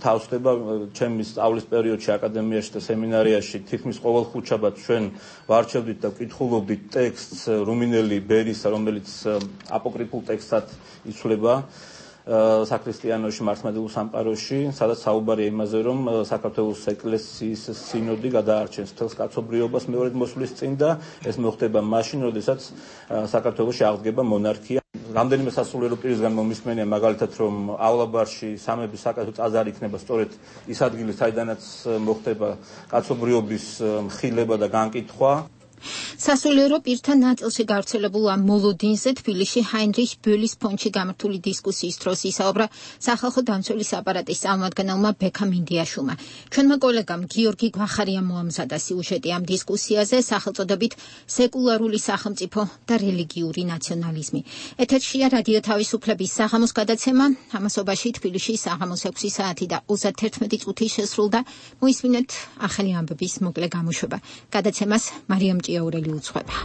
თავსდება. ჩემი სწავლის პერიოდში აკადემიაში და სემინარიაში თითქმის ყოველ ხუთშაბათ ჩვენ ვარჩევდით და ვკითხულობდით ტექსტს რუმინელი ბერისა, რომელიც აპოკრიფულ ტექსტად იცვლება საქრისტიანოში მართლმადიდებლურ სამყაროში, სადაც საუბარია იმაზე, რომ საქართველოს ეკლესიის სინოდი გადაარჩენს მთელს კაცობრიობას მეორედ მოსვლის წინ და ეს მოხდება მაშინ, როდესაც საქართველოში აღდგება მონარქია. რამდენიმე სასულიერო პირისგან მომისმენია მაგალითად, რომავლაბარში სამების საკათო ტაძარი იქნება სწორედ ის ადგილი, საიდანაც მოხდება კაცობრიობის მხილება და განკითხვა. სასულიერო პირთა ნაწილში გავრცელებულ ამ მოლოდინზე თბილისში ჰაინრიხ ბეულის ფონდში გამართული დისკუსიის დროს ისაუბრა სახალხო დამცველის აპარატის წარმომადგენელმა ბექა მინდიაშვილმა. ჩვენმა კოლეგამ გიორგი გვახარიამ მოამზადა სიუჟეტი ამ დისკუსიაზე სახელწოდებით სეკულარული სახელმწიფო და რელიგიური ნაციონალიზმი. ეთერშია რადიო თავისუფლების საღამოს გადაცემა, ამასობაში თბილისში საღამოს ექვსი საათი და ოცდათერთმეტი წუთი შესრულდა. მოისმინეთ ახალი ამბების მოკლე გამოშვება. გადაცემას მარიამ ჭიაურელი უძღვება.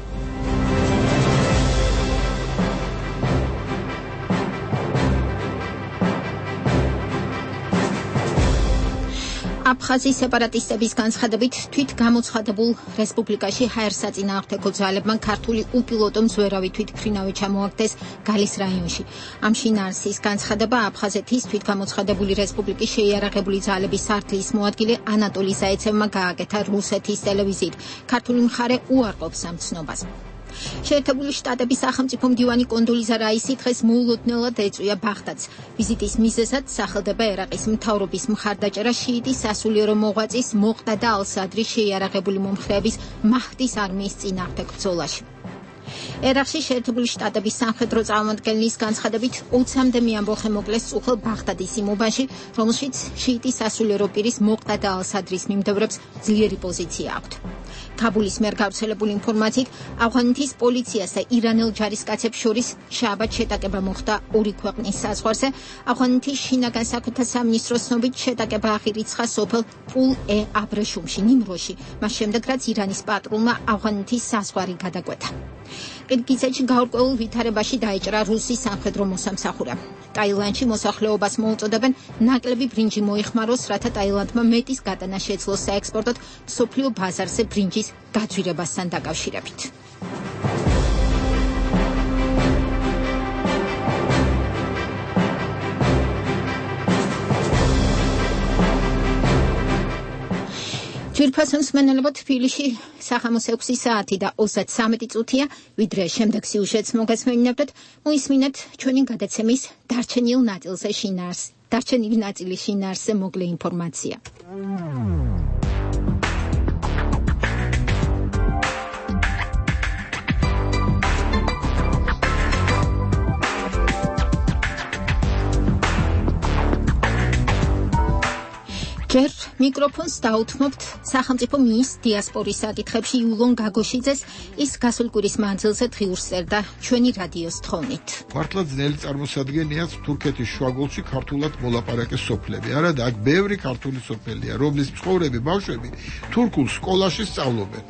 აფხაზის სეპარატისტების განცხადებით თვით გამოცხადებულ რესპუბლიკაში ჰაერსაწინააღმდეგო ძალებმა ქართული უპილოტო მზვერავი თვითმფრინავი ჩამოაგდეს გალის რაიონში. ამ შინაარსის განცხადება აფხაზეთის თვითგამოცხადებული რესპუბლიკის შეიარაღებული ძალების სარდლის მოადგილე ანატოლი ზაეცევმა გააკეთა რუსეთის ტელევიზიით. ქართული მხარე უარყოფს ამ ცნობას. შეერთებული შტატების სახელმწიფო მდივანი კონდოლიზა რაისი დღეს მოულოდნელად ეწვია ბაღდადს. ვიზიტის მიზეზად სახელდება ერაყის მთავრობის მხარდაჭერა შიიტის სასულიერო მოღვაწის მოყდადა ალ-სადრის შეიარაღებული მომხრეების მაჰდის არმიის წინააღმდეგ ბრძოლაში. ერაყში შეერთებული შტატების სამხედრო წარმომადგენლის განცხადებით ოცამდე მეამბოხე მოკლეს წუხელ ბაღდადის იმ უბანში, რომელშიც შიიტის სასულიერო პირის მოყდადა ალ-სადრის მიმდევრებს ძლიერი პოზიცია აქვთ. ქაბულის მიერ გავრცელებული ინფორმაციით ავღანეთის პოლიციას და ირანელ ჯარისკაცებს შორის შაბათ შეტაკება მოხდა ორი ქვეყნის საზღვარზე. ავღანეთის შინაგან საქმეთა სამინისტროს ცნობით შეტაკება აღირიცხა სოფელ პულ-ე-აბრეშუმში, ნიმროში, მას შემდეგ რაც ირანის პატრულმა ავღანეთის საზღვარი გადაკვეთა. ყირგიზეთში გაურკვეველ ვითარებაში დაეჭრა რუსის სამხედრო მოსამსახურე. ტაილანდში მოსახლეობას მოუწოდებენ ნაკლები ბრინჯი მოიხმაროს, რათა ტაილანდმა მეტის გატანა შეძლოს საექსპორტოდ მსოფლიო ბაზარზე ბრინჯის გაძვირებასთან დაკავშირებით. ძვირფასონს მენელებოთ თბილისში საღამოს ექვსი საათი და ოცდათრამეტი წუთია, ვიდრე შემდეგ სიუჟეტს მოგესმენინებთ, მოისმინეთ ჩვენი გადაცემის დარჩენილ ნაწილზე შინაარსი. დარჩენილი ნაწილის შინაარსზე მოკლე ინფორმაცია. ჯერ მიკროფონს დაუთმობთ სახელმწიფო მინისტრ დიასპორის საკითხებში იულონ გაგოშიძეს, ის გასულ კვირის მანძილზე დღიურს წერდა ჩვენი რადიოს თხოვნით. მართლა ძნელი წარმოსადგენია თურქეთის შუაგულში ქართულად მოლაპარაკე სოფლები. არა და აქ ბევრი ქართული სოფელია, რომლის მცხოვრები ბავშვები თურქულ სკოლაში სწავლობენ.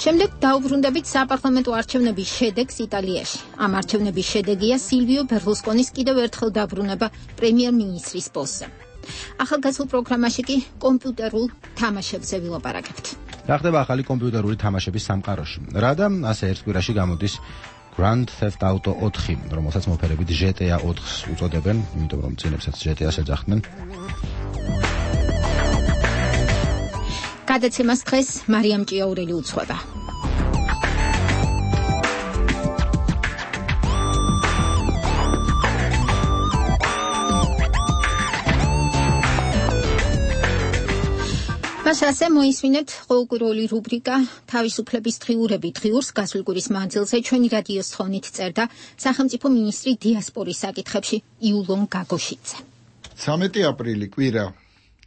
შემდეგ დაუბრუნდებით საპარლამენტო არჩევნების შედეგს იტალიაში. ამ არჩევნების შედეგია სილვიო ბერლუსკონის კიდევ ერთხელ დაბრუნება პრემიერ-მინისტრის პოსტზე. ახალგაზრდულ პროგრამაში კი კომპიუტერულ თამაშებზე ვილაპარაკებთ. რა ხდება ახალი კომპიუტერული თამაშების სამყაროში? რა და ასე ერთ კვირაში გამოდის Grand Theft Auto ოთხი, რომელსაც მოფერებით G T A ოთხს უწოდებენ, იმიტომ რომ წინებსაც G T A-ს ეძახდნენ. გადაცემას დღეს მარიამ ჭიაურელი უძღვება. მას ასე მოისმინეთ ყოველკვირეული რუბრიკა თავისუფლების დღიურები დღიურს გასული კვირის მანძილზე ჩვენი რადიოს თხოვნით წერდა სახელმწიფო მინისტრი დიასპორის საკითხებში იულონ გაგოშიძე. ცამეტი აპრილი კვირა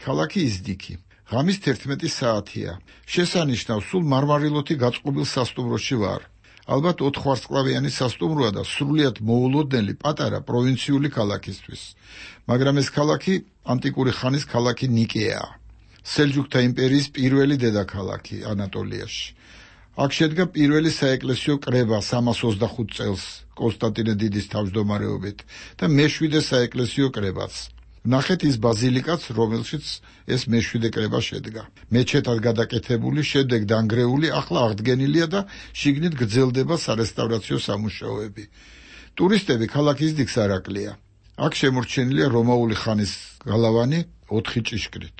ქალაქი იზდიქი ღამის თერთმეტი საათია შესანიშნავ სულ მარმარილოთი გაწყობილ სასტუმროში ვარ ალბათ ოთხვარსკვლავიანი სასტუმროა და სრულიად მოულოდნელი პატარა პროვინციული ქალაქისთვის მაგრამ ეს ქალაქი ანტიკური ხანის ქალაქი ნიკეაა სელჯუქთა იმპერიის პირველი დედაქალაქი ანატოლიაში აქ შედგა პირველი საეკლესიო კრება სამას ოცდახუთ წელს კონსტანტინე დიდის თავმჯდომარეობით და მეშვიდე საეკლესიო კრებაც ნახეთ ის ბაზილიკაც, რომელშიც ეს მეშვიდე კრება შედგა. მეჩეთად გადაკეთებული, შემდეგ დანგრეული, ახლა აღდგენილია და შიგნით გრძელდება სარესტავრაციო სამუშაოები. ტურისტები ქალაქ იზდიქს არ აკლია. აქ შემორჩენილია რომაული ხანის გალავანი ოთხი ჭიშკრით.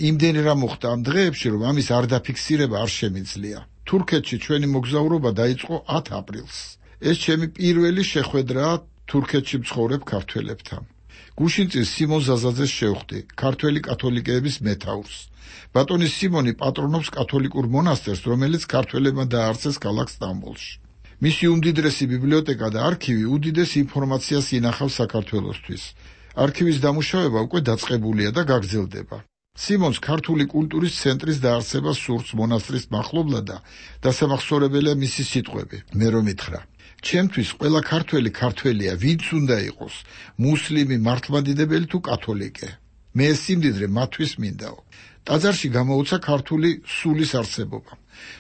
იმდენი რა მოხდა ამ დღეებში, რომ ამის არ დაფიქსირება არ შემიძლია. თურქეთში ჩვენი მოგზაურობა დაიწყო ათ აპრილს. ეს ჩემი პირველი შეხვედრაა თურქეთში მცხოვრებ ქართველებთან. გუშინწის სიმონ ზაზაძეს შევხვდი, ქართველი კათოლიკეების მეთაურს. ბატონი სიმონი პატრონობს კათოლიკურ მონასტერს, რომელიც ქართველებმა დააარსეს ქალაქ სტამბოლში. მისი უმდიდრესი ბიბლიოთეკა და არქივი უდიდეს ინფორმაციას ინახავს საქართველოსთვის. არქივის დამუშავება უკვე დაწყებულია და გაგრძელდება. სიმონს ქართული კულტურის ცენტრის დაარსება სურს მონასტრის მახლობლად და დასამახსოვრებელია მისი სიტყვები. მე რომ მითხრა ჩემთვის ყველა ქართველი ქართველია, ვინც უნდა იყოს, მუსლიმი, მართლმადიდებელი თუ კათოლიკე. მე ეს სიმდიდრე მათთვის მინდაო. ტაძარში გამოუცა ქართული სულის არსებობა.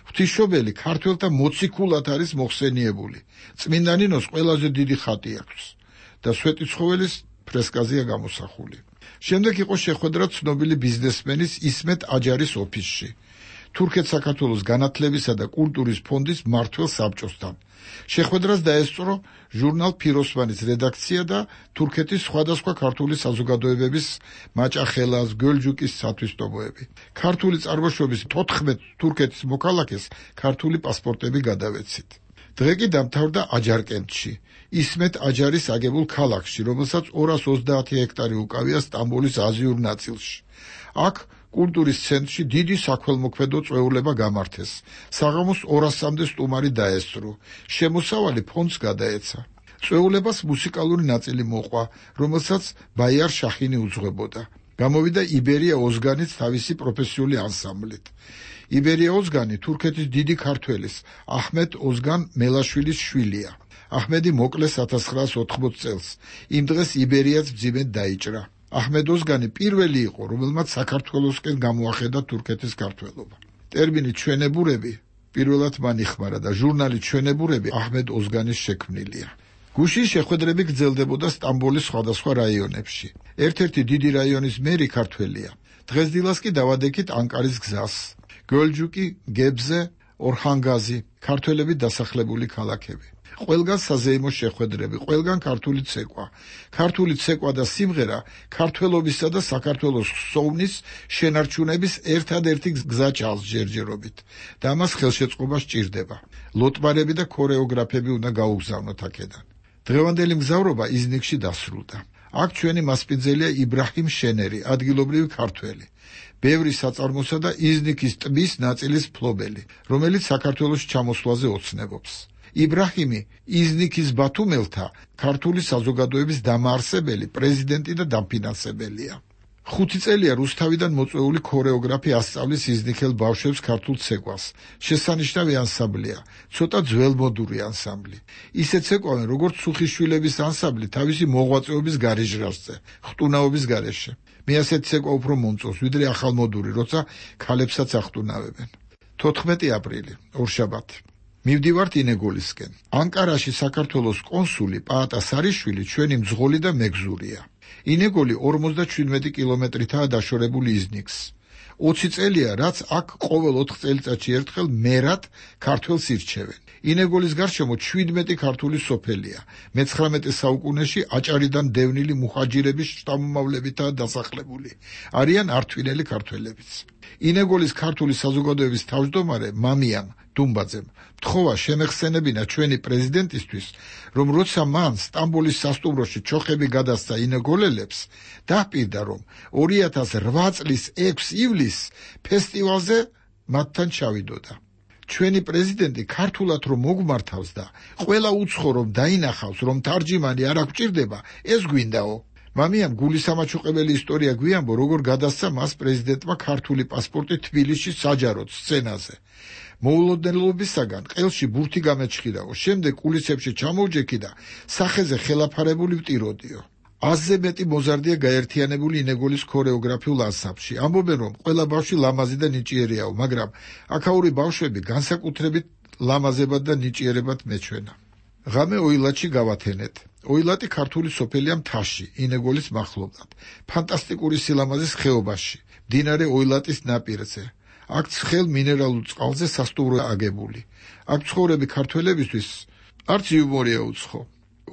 ღვთისმშობელი ქართველთა მოციქულად არის მოხსენიებული. წმინდა ნინოს ყველაზე დიდი ხატი აქვს და სვეტიცხოველის ფრესკაზეა გამოსახული. შემდეგ იყო შეხვედრა ცნობილი ბიზნესმენის ისმეთ აჯარის ოფისში. თურქეთ-საქართველოს განათლებისა და კულტურის ფონდის მმართველ საბჭოსთან. შეხვედრას დაესწრო ჟურნალ ფიროსმანის რედაქცია და თურქეთის სხვადასხვა ქართული საზოგადოებების მაჭახელას, გოლჯუკის სათვისტომოები. ქართული წარმოშობის თოთხმეტ თურქეთის მოქალაქეს ქართული პასპორტები გადავეცით. დღე კი დამთავრდა აჯარკენტში, ისმეთ აჯარის აგებულ ქალაქში, რომელსაც ორას ოცდაათი ჰექტარი უკავია სტამბოლის აზიურ ნაწილში. აქ კულტურის ცენტრში დიდი საქველმოქმედო წვეულება გამართეს. საღამოს ორასამდე სტუმარი დაესწრო. შემოსავალი ფონდს გადაეცა. წვეულებას მუსიკალური ნაწილი მოყვა, რომელსაც ბაიარ შახინი უძღვებოდა. გამოვიდა იბერია ოზგანიც თავისი პროფესიული ანსამბლით. იბერია ოზგანი თურქეთის დიდი ქართველის, აჰმედ ოზგან მელაშვილის შვილია. აჰმედი მოკლეს ათას ცხრაას ოთხმოც წელს. იმ დღეს იბერიაც მძიმედ დაიჭრა. აჰმედ ოზგანი პირველი იყო, რომელმაც საქართველოსკენ გამოახედა თურქეთის ქართველობა. ტერმინი ჩვენებურები პირველად მან იხმარა და ჟურნალი ჩვენებურები აჰმედ ოზგანის შექმნილია. გუშინ შეხვედრები გრძელდებოდა სტამბოლის სხვადასხვა რაიონებში. ერთ-ერთი დიდი რაიონის მერი ქართველია. დღესდილას კი დავადექით ანკარის გზას. გოლჯუკი, გებზე, ორხანგაზი, ქართველები დასახლებული ქალაქები. ყველგან საზეიმო შეხვედრები, ყველგან ქართული ცეკვა. ქართული ცეკვა და სიმღერა ქართველობისა და საქართველოს ხსოვნის შენარჩუნების ერთადერთი გზა ჩანს ჯერჯერობით და ამას ხელშეწყობა სჭირდება. ლოტმარები და ქორეოგრაფები უნდა გაუგზავნოთ აქედან. დღევანდელი მგზავრობა იზნიქში დასრულდა. აქ ჩვენი მასპინძელია იბრაჰიმ შენერი, ადგილობრივი ქართველი. ბევრი საწარმოსა და იზნიქის ტბის ნაწილის მფლობელი, რომელიც საქართველოს ჩამოსვლაზე ოცნებობს. იბრაჰიმი იზნიქის ბათუმელთა ქართული საზოგადოების დამაარსებელი, პრეზიდენტი და დამფინანსებელია. ხუთი წელია რუსთავიდან მოწვეული ქორეოგრაფი ასწავლის იზნიქელ ბავშვებს ქართულ ცეკვას. შესანიშნავი ანსამბლია, ცოტა ძველმოდური ანსამბლი. ისე ცეკვავენ, როგორც სუხიშვილების ანსამბლი თავისი მოღვაწეობის გარეჟრასზე, ხტუნაობის გარეშე. მე ასეთ ცეკვა უფრო მომწონს, ვიდრე ახალმოდური, როცა ქალებსაც ახტუნავებენ. თოთხმეტი აპრილი, ორშაბათი. მივდივართ ინეგოლისკენ. ანკარაში საქართველოს კონსული პაატა სარიშვილი ჩვენი მძღოლი და მეგზურია. ინეგოლი ორმოცდაჩვიდმეტი კილომეტრითაა დაშორებული იზნიქს. ოცი წელია, რაც აქ ყოველ ოთხ წელიწადში ერთხელ მერად ქართველს ირჩევენ. ინეგოლის გარშემო ჩვიდმეტი ქართული სოფელია. მეცხრამეტე საუკუნეში აჭარიდან დევნილი მუჰაჯირების შთამომავლებითაა დასახლებული. არიან ართვინელი ქართველებიც. ინეგოლის ქართული საზოგადოების თავმჯდომარე მამიან დუმბაძემ. თხოვა შემეხსენებინა ჩვენი პრეზიდენტისთვის, რომ როცა მან სტამბოლის სასტუმროში ჩოხები გადასცა ინეგოლელებს, დაჰპირდა, რომ ორი ათას რვა წლის ექვსი ივლისს ფესტივალზე მათთან ჩავიდოდა. ჩვენი პრეზიდენტი ქართულად რომ მოგმართავს და ყველა უცხო რომ დაინახავს, რომ თარჯიმანი არ აღჭირდება, ეს გვინდაო. მამიამ გულისამაჩუყებელი ისტორია გვიამბო, როგორ გადასცა მას პრეზიდენტმა ქართული პასპორტი თბილისში საჯაროდ სცენაზე. მოულოდნელობისაგან ყელში ბურთი გამეჩხირაო, შემდეგ კულისებში ჩამოვჯექი და სახეზე ხელაფარებული ვტიროდიო. აზზე მეტი მოზარდია გაერთიანებული ინეგოლის ქორეოგრაფიულ ანსამბლში. ამბობენ, რომ ყველა ბავშვი ლამაზი და ნიჭიერიაო, მაგრამ აქაური ბავშვები განსაკუთრებით ლამაზებად და ნიჭიერებად მეჩვენა. ღამე ოილატში გავათენეთ. ოილატი ქართული სოფელია მთაში, ინეგოლის მახლობლად, ფანტასტიკური სილამაზის ხეობაში, მდინარე ოილატის ნაპირზე. აქ ცხელ მინერალურ წყალზე სასტუმრო აგებული. აქ ცხოვრები ქართველებისთვის არც იუმორია უცხო.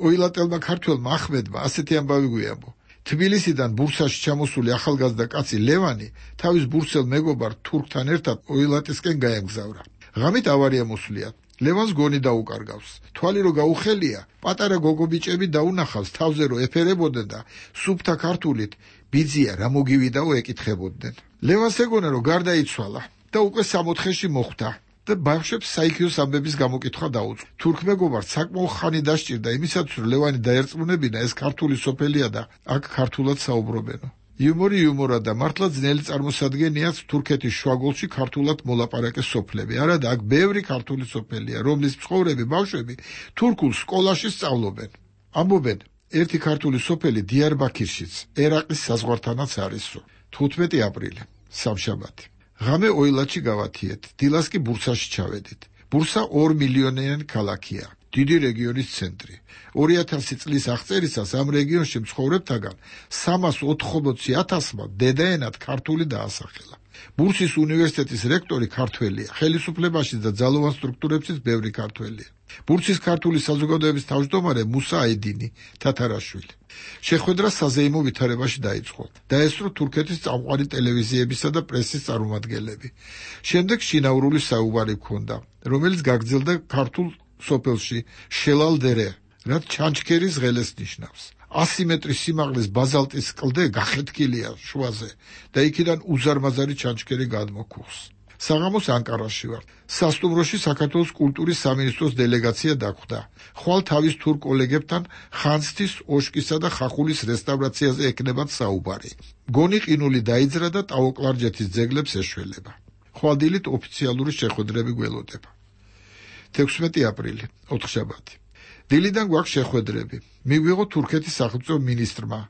ოილატელმა ქართველმა ახმედმა ასეთი ამბავი გვიამბო. თბილისიდან ბურსაში ჩამოსული ახალგაზრდა კაცი ლევანი თავის ბურსელ მეგობარ თურქთან ერთად ოილატისკენ გაემგზავრა. ღამით ავარია მოსვლია. ლევანს გონი დაუკარგავს. თვალი რო გაუხელია, პატარა გოგობიჭები დაუნახავს თავზე რო ეფერებოდნენ და სუფთა ქართულით ბიძია რა მოგივიდაო ეკითხებოდნენ. ლევანს ეგონა რომ გარდაიცვალა და უკვე სამოთხეში მოხვდა და ბავშვებს საიქიოს ამბების გამოკითხვა დაუწყო. თურქ მეგობარს საკმაო ხანი დასჭირდა იმისათვის, რომ ლევანი დაერწმუნებინა ეს ქართული სოფელია და აქ ქართულად საუბრობენო. იუმორი იუმორა და მართლა ძნელი წარმოსადგენიაც თურქეთის შუაგულში ქართულად მოლაპარაკე სოფლები. არა და აქ ბევრი ქართული სოფელია, რომლის მცხოვრები ბავშვები თურქულ სკოლაში სწავლობენ. ამბობენ, ერთი ქართული სოფელი დიარბაქირშიც, ერაყის საზღვართანაც არისო. თხუთმეტი აპრილი, სამშაბათი. ღამე ოილატში გავათიეთ, დილას კი ბურსაში ჩავედით. ბურსა ორ მილიონიანი ქალაქია, დიდი რეგიონის ცენტრი. ორი ათასი წლის აღწერისას ამ რეგიონში მცხოვრებთაგან სამას ოთხმოცი ათასმა დედაენად ქართული დაასახელა. ბურსის უნივერსიტეტის რექტორი ქართველია, ხელისუფლებაში და ძალოვან სტრუქტურებშიც ბევრი ქართველია. ბურსის ქართული საზოგადოების თავმჯდომარე მუსა აიდინი თათარაშვილი. შეხვედრა საზეიმო ვითარებაში დაიწყო. დაესწრო თურქეთის წამყვანი ტელევიზიებისა და პრესის წარმომადგენლები. შემდეგ შინაურული საუბარი ჰქონდა, რომელიც გაგრძელდა ქართულ სოფელში შელალდერე, რაც ჩანჩქერის ღელეს ნიშნავს. ასი მეტრის სიმაღლის ბაზალტის კლდე გახეთქილია შუაზე და იქიდან უზარმაზარი ჩანჩქერი გადმოგვხს. საღამოს ანკარაში ვარ. სასტუმროში საქართველოს კულტურის სამინისტროს დელეგაცია დახვდა. ხვალ თავის თურქ კოლეგებთან ხანძთის, ოშკისა და ხახულის რესტავრაციაზე ეკნებათ საუბარი. გონი ყინული დაიძრა და ტაო-კლარჯეთის ძეგლებს ეშველება. ხვალდილით ოფიციალური შეხვედრები გველოდება. თექვსმეტი აპრილი, ოთხშაბათი. დილიდან გვაქვს შეხვედრები. მიგვიღო თურქეთის სახელმწიფო მინისტრმა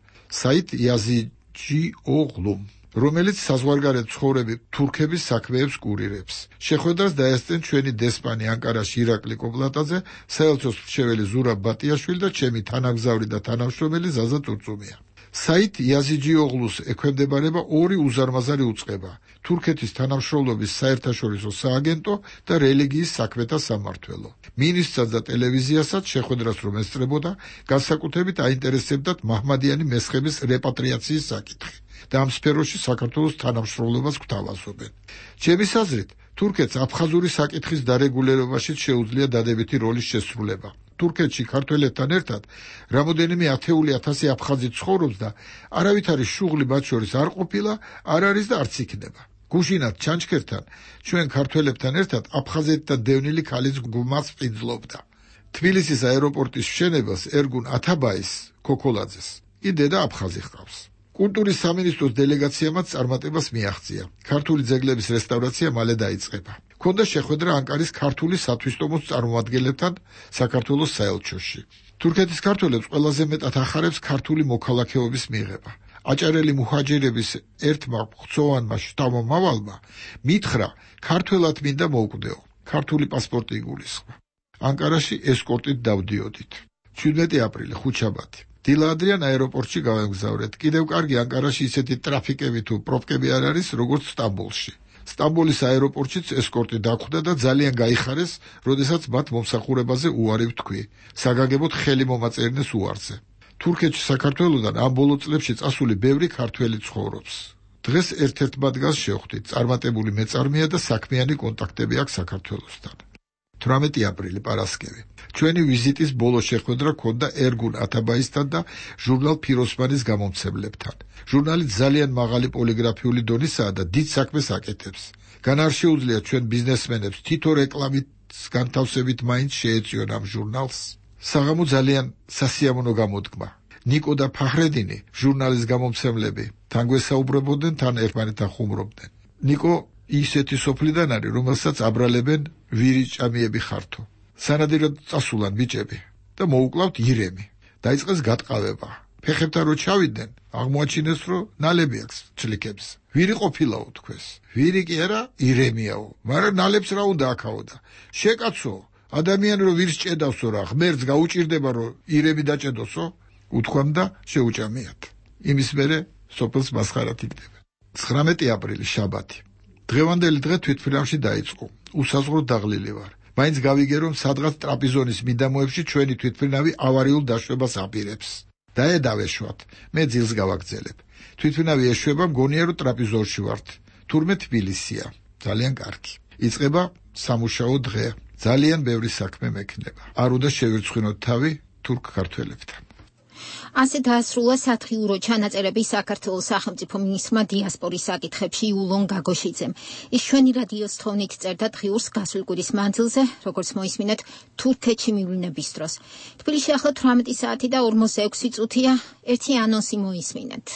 საით იაზიჯი ოღლუმ, რომელიც საზღვარგარეთ ცხოვრები თურქების საქმეებს კურირებს. შეხვედრას დაესწრნენ ჩვენი დესპანი ანკარაში ირაკლი კოპლატაძე, საელჩოს მრჩეველი ზურაბ ბატიაშვილი და ჩემი თანამგზავრი და თანამშრომელი ზაზა წურწუმია. საით იაზიჯი ოღლუს ექვემდებარება ორი უზარმაზარი უწყება: თურქეთის თანამშრომლობის საერთაშორისო სააგენტო და რელიგიის საქმეთა სამმართველო. მინისტრსაც და ტელევიზიასაც შეხვედრას რომ ესწრებოდა, განსაკუთრებით აინტერესებდათ მაჰმადიანი მესხების რეპატრიაციის საკითხი და ამ სფეროში საქართველოს თანამშრომლობას გვთავაზობენ. ჩემის აზრით, თურქეთს აფხაზური საკითხის დარეგულირებაშიც შეუძლია დადებითი როლის შესრულება. თურქეთში ქართველებთან ერთად რამოდენიმე ათეული ათასი აფხაზი ცხოვრობს და არავითარი შუღლი მათ შორის არ ყოფილა, არ არის და არც იქნება. გუშინად ჩანჩქერთან ჩვენ ქართველებთან ერთად აფხაზეთთან დევნილი ქალის გუმას პინძლობდა. თბილისის აეროპორტის მშენებას ერგუნ ათაბაის ქოქოლაძეს კი დედა აფხაზი ჰყავს. კულტურის სამინისტროს დელეგაციამაც წარმატებას მიაღწია. ქართული ძეგლების რესტავრაცია მალე დაიწყება. ქონდა შეხვედრა ანკარის ქართული სათვისტომოს წარმომადგენლებთან საქართველოს საელჩოში. თურქეთის ქართველებს ყველაზე მეტად ახარებს ქართული მოქალაქეობის მიღება. აჭარელი მუჰაჯირების ერთმა ღვთოვანმა შთამომავალმა მითხრა, ქართველად მინდა მოვკვდეო, ქართული პასპორტი იგულისხმა. ანკარაში ესკორტით დავდიოდით. შვიდმეტი აპრილი, ხუთშაბათი. დილადრიან აეროპორტში გავემგზავრეთ. კიდევ კარგი ანკარაში ისეთი ტრაფიკები თუ პროფკები არ არის, როგორც სტამბოლში. სტამბოლის აეროპორტშიც ესკორტი დახვდა და ძალიან გაიხარეს, როდესაც მათ მომსახურებაზე უარი ვთქვი. საგანგებოდ ხელი მომაწერინეს უარზე. თურქეთში საქართველოდან ამ ბოლო წლებში წასული ბევრი ქართველი ცხოვრობს. დღეს ერთ-ერთ მათგანს შევხვდით. წარმატებული მეწარმეა და საქმიანი კონტაქტები აქვს საქართველოსთან. თვრამეტი აპრილი პარასკევი. ჩვენი ვიზიტის ბოლო შეხვედრა ჰქონდა ერგուն ათაბაისთან და ჟურნალ ფიროსმანის გამომცემლებთან. ჟურნალი ძალიან მაღალი პოლიგრაფიული დონისაა და დიდ საქმეს აკეთებს. გან არ შეუძლია ჩვენ ბიზნესმენებს თითო რეკლამით განთავსებით მაინც შეეწიონ ამ ჟურნალს. საღამო ძალიან სასიამოვნო გამოდგმა. ნიკო და ფახრედინი, ჟურნალის გამომცემლები, თან გვესაუბრებოდნენ, თან ერთმანეთთან ხუმრობდნენ. ნიკო ისეთი სოფლიდან არის, რომელსაც აბრალებენ ვირიჭამიები ხართო. სანადიროდ წასულან ბიჭები და მოუკლავთ ირემი. დაიწყეს გატყავება. ფეხებთან რო ჩავიდნენ, აღმოაჩინეს, რომ ნალები აქვს ჩლიქებს. ვირი ყოფილაო თქვეს. ვირი კი არა, ირემიაო. მაგრამ ნალებს რა უნდა აქაოდა? შეკაცო, ადამიანი რო ვირს ჭედავსო რა, ღმერთს გაუჭირდება რომ ირემი დაჭედოსო? უთქვამ და შეუჭამიათ. იმის მერე სოფელს მასხარად იგდება. ცხრამეტი აპრილი შაბათი. დღევანდელი დღე თვითმფრინავში დაიწყო. უსაზღრო დაღლილი ვარ. მაინც გავიგე რომ სადღაც ტრაპიზონის მიდამოებში ჩვენი თვითმფრინავი ავარიულ დაშვებას აპირებს. დაედავეშვათ. მე ძილს გავაგზელებ. თვითმფრინავი ეშვება, მგონია რომ ტრაპიზონში ვართ. თურმე თბილისია. ძალიან კარგი. იწყება სამუშაო დღე. ძალიან ბევრი საქმე მექნება. არ უნდა შევირცხინოთ თავი თურქ ქართველებთან. ასე დაასრულა სათხიურო ჩანაწერები საქართველოს სახელმწიფო მინისტრმა დიასპორის საკითხებში იულონ გაგოშიძემ. ის ჩვენი რადიოს თხოვნით წერდა დღიურს გასული კვირის მანძილზე, როგორც მოისმინეთ, თურქეთში მივლინების დროს. თბილისში ახლა თვრამეტი საათი და ორმოცდაექვსი წუთია. ერთი ანონსი მოისმინეთ.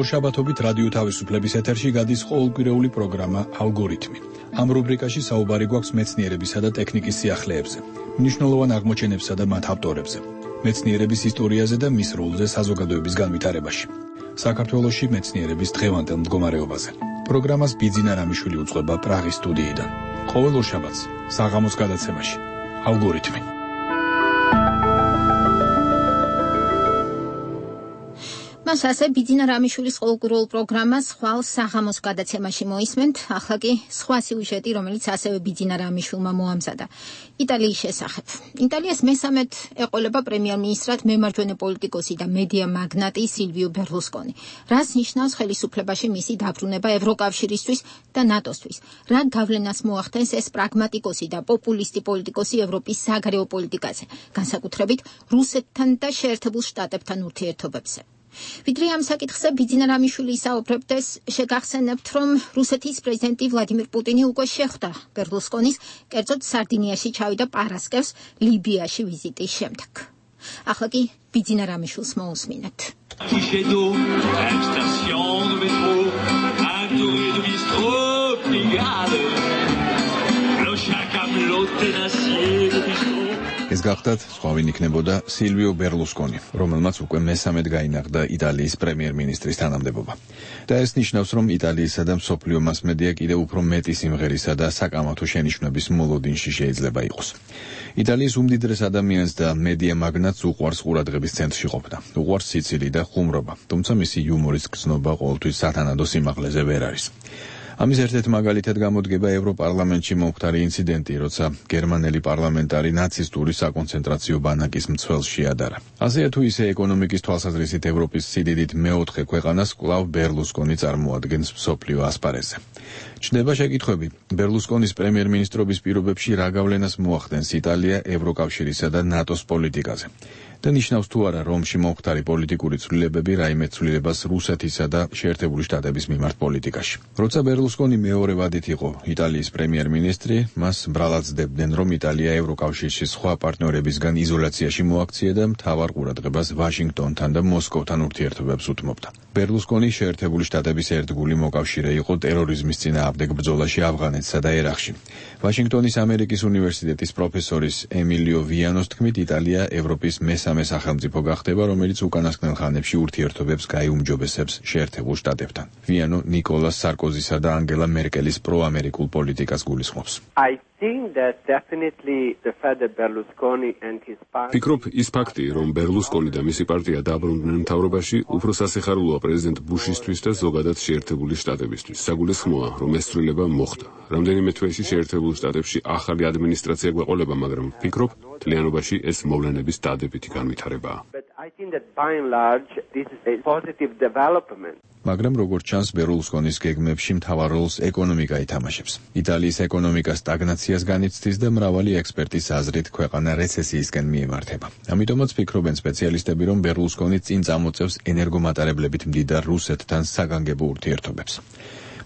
ორშაბათობით რადიო თავისუფლების ეთერში გადის ყოველკვირეული პროგრამა ალგორითმი. ამ რუბრიკაში საუბარი გვაქვს მეცნიერებისა და ტექნიკის სიახლეებზე, მნიშვნელოვან აღმოჩენებსა და მათ ავტორებზე, მეცნიერების ისტორიაზე და მის როლზე საზოგადოების განვითარებაში. საქართველოში მეცნიერების დღევანდელ მდგომარეობაზე. პროგრამას ბიძინა რამიშვილი უწყება პრაღის სტუდიიდან. ყოველ ორშაბათს საღამოს გადაცემაში ალგორითმი. მას ასე ბიძინა რამიშვილის ყოველკვირეულ პროგრამას ხვალ საღამოს გადაცემაში მოისმენთ. ახლა კი სხვა სიუჟეტი, რომელიც ასევე ბიძინა რამიშვილმა მოამზადა. იტალიის შესახებ. იტალიას მესამედ ეყოლება პრემიერ-მინისტრად მემარჯვენე პოლიტიკოსი და მედია მაგნატი სილვიო ბერლუსკონი. რას ნიშნავს ხელისუფლებაში მისი დაბრუნება ევროკავშირისთვის და ნატოსთვის? რა გავლენას მოახდენს ეს პრაგმატიკოსი და პოპულისტი პოლიტიკოსი ევროპის საგარეო პოლიტიკაზე, განსაკუთრებით რუსეთთან და შეერთებულ შტატებთან ურთიერთობებზე? ვიდრე ამ საკითხზე ბიძინა რამიშვილი ისაუბრებდეს, შეგახსენებთ, რომ რუსეთის პრეზიდენტი ვლადიმირ პუტინი უკვე შეხვდა ბერლუსკონის, კერძოდ სარდინიაში ჩავიდა პარასკევს ლიბიაში ვიზიტის შემდეგ. ახლა კი ბიძინა რამიშვილს მოусმინეთ. ეს გახდათ სხვავინ იქნებოდა სილვიო ბერლუსკონი, რომელმაც უკვე მესამედ გაინახდა იტალიის პრემიერ-მინისტრის თანამდებობა. და ეს ნიშნავს, რომ იტალიისა და მსოფლიო მასმედია კიდევ უფრო მეტი სიმღერისა და საკამათო შენიშვნების მოლოდინში შეიძლება იყოს. იტალიის უმდიდრეს ადამიანს და მედია მაგნატს უყვარს ყურადღების ცენტრში ყოფნა. უყვარს სიცილი და ხუმრობა, თუმცა მისი იუმორის გრძნობა ყოველთვის სათანადო სიმაღლეზე ვერ არის. ამის ერთ-ერთ მაგალითად გამოდგება ევროპარლამენტში მომხდარი ინციდენტი, როცა გერმანელი პარლამენტარი ნაცისტური საკონცენტრაციო ბანაკის მცველს შეადარა. ასეა თუ ისე ეკონომიკის თვალსაზრისით ევროპის სიდიდით მეოთხე ქვეყანას კვლავ ბერლუსკონი წარმოადგენს მსოფლიო ასპარეზზე. ჩნდება შეკითხვები, ბერლუსკონის პრემიერ-მინისტრობის პირობებში რა გავლენას მოახდენს იტალია ევროკავშირისა და ნატოს პოლიტიკაზე. და ნიშნავს თუ არა რომში მომხდარი პოლიტიკური ცვლილებები რაიმე ცვლილებას რუსეთისა და შეერთებული შტატების მიმართ პოლიტიკაში. როცა ბერლუსკონი მეორე ვადით იყო იტალიის პრემიერ-მინისტრი, მას ბრალად ძდებდნენ, რომ იტალია ევროკავშირში სხვა პარტნიორებისგან იზოლაციაში მოაქცია და მთავარ ყურადღებას ვაშინგტონთან და მოსკოვთან ურთიერთობებს უთმობდა. ბერლუსკონი შეერთებული შტატების ერთგული მოკავშირე იყო ტერორიზმის წინააღმდეგ ბრძოლაში ავღანეთსა და ერაყში. ვაშინგტონის ამერიკის უნივერსიტეტის პროფესორის ემილიო ვიანოს თქმით, იტალია ევროპის მესამე სახელმწიფო გახდება, რომელიც უკანასკნელ ხანებში ურთიერთობებს გაიუმჯობესებს შეერთებულ შტატებთან. ვიანო ნიკოლას სარკოზისა და ანგელა მერკელის პროამერიკულ პოლიტიკას გულისხმობს. ფიქრობ, ის ფაქტი, რომ ბერლუსკონი და მისი პარტია დაბრუნდნენ მთავრობაში, უფრო სასიხარულოა პრეზიდენტ ბუშისთვის და ზოგადად შეერთებული შტატებისთვის. საგულისხმოა, რომ ეს ცვლილება მოხდა. რამდენიმე თვეში შეერთებულ შტატებში ახალი ადმინისტრაცია გვეყოლება, მაგრამ ფიქრობ, მთლიანობაში ეს მოვლენების დადებითი განვითარებაა. I think that by and large this is a positive development. მაგრამ როგორც ჩანს, ბერლუსკონის გეგმებში მთავარ როლს ეკონომიკა ითამაშებს. იტალიის ეკონომიკა სტაგნაციას განიცდის და მრავალი ექსპერტის აზრით ქვეყანა რეცესიისკენ მიემართება. ამიტომაც ფიქრობენ სპეციალისტები, რომ ბერლუსკონი წინ წამოწევს ენერგომატარებლებით მდიდარ რუსეთთან საგანგებო ურთიერთობებს.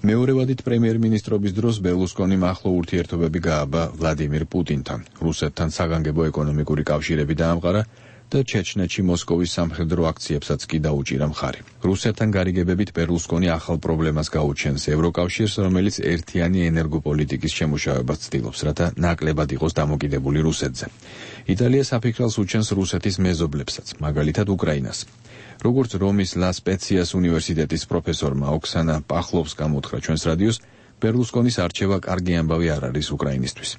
მეორევადით პრემიერ-მინისტრობის დროს ბერლუსკონიმ ახლო ურთიერთობები გააბა ვლადიმირ პუტინთან. რუსეთთან საგანგებო ეკონომიკური კავშირები დაამყარა და ჩეჩნეთში მოსკოვის სამხედრო აქციებსაც კი დაუჭირა მხარი. რუსეთთან გარიგებებით ბერლუსკონი ახალ პრობლემას გაუჩენს ევროკავშირს, რომელიც ერთიანი ენერგოპოლიტიკის შემუშავებას ცდილობს, რათა ნაკლებად იყოს დამოკიდებული რუსეთზე. იტალია საფიქრალს უჩენს რუსეთის მეზობლებსაც, მაგალითად უკრაინას. როგორც რომის ლა სპეციას უნივერსიტეტის პროფესორმა ოქსანა პახლოვსკამ უთხრა ჩვენს რადიოს, ბერლუსკონის არჩევა კარგი ამბავი არ არის უკრაინისთვის.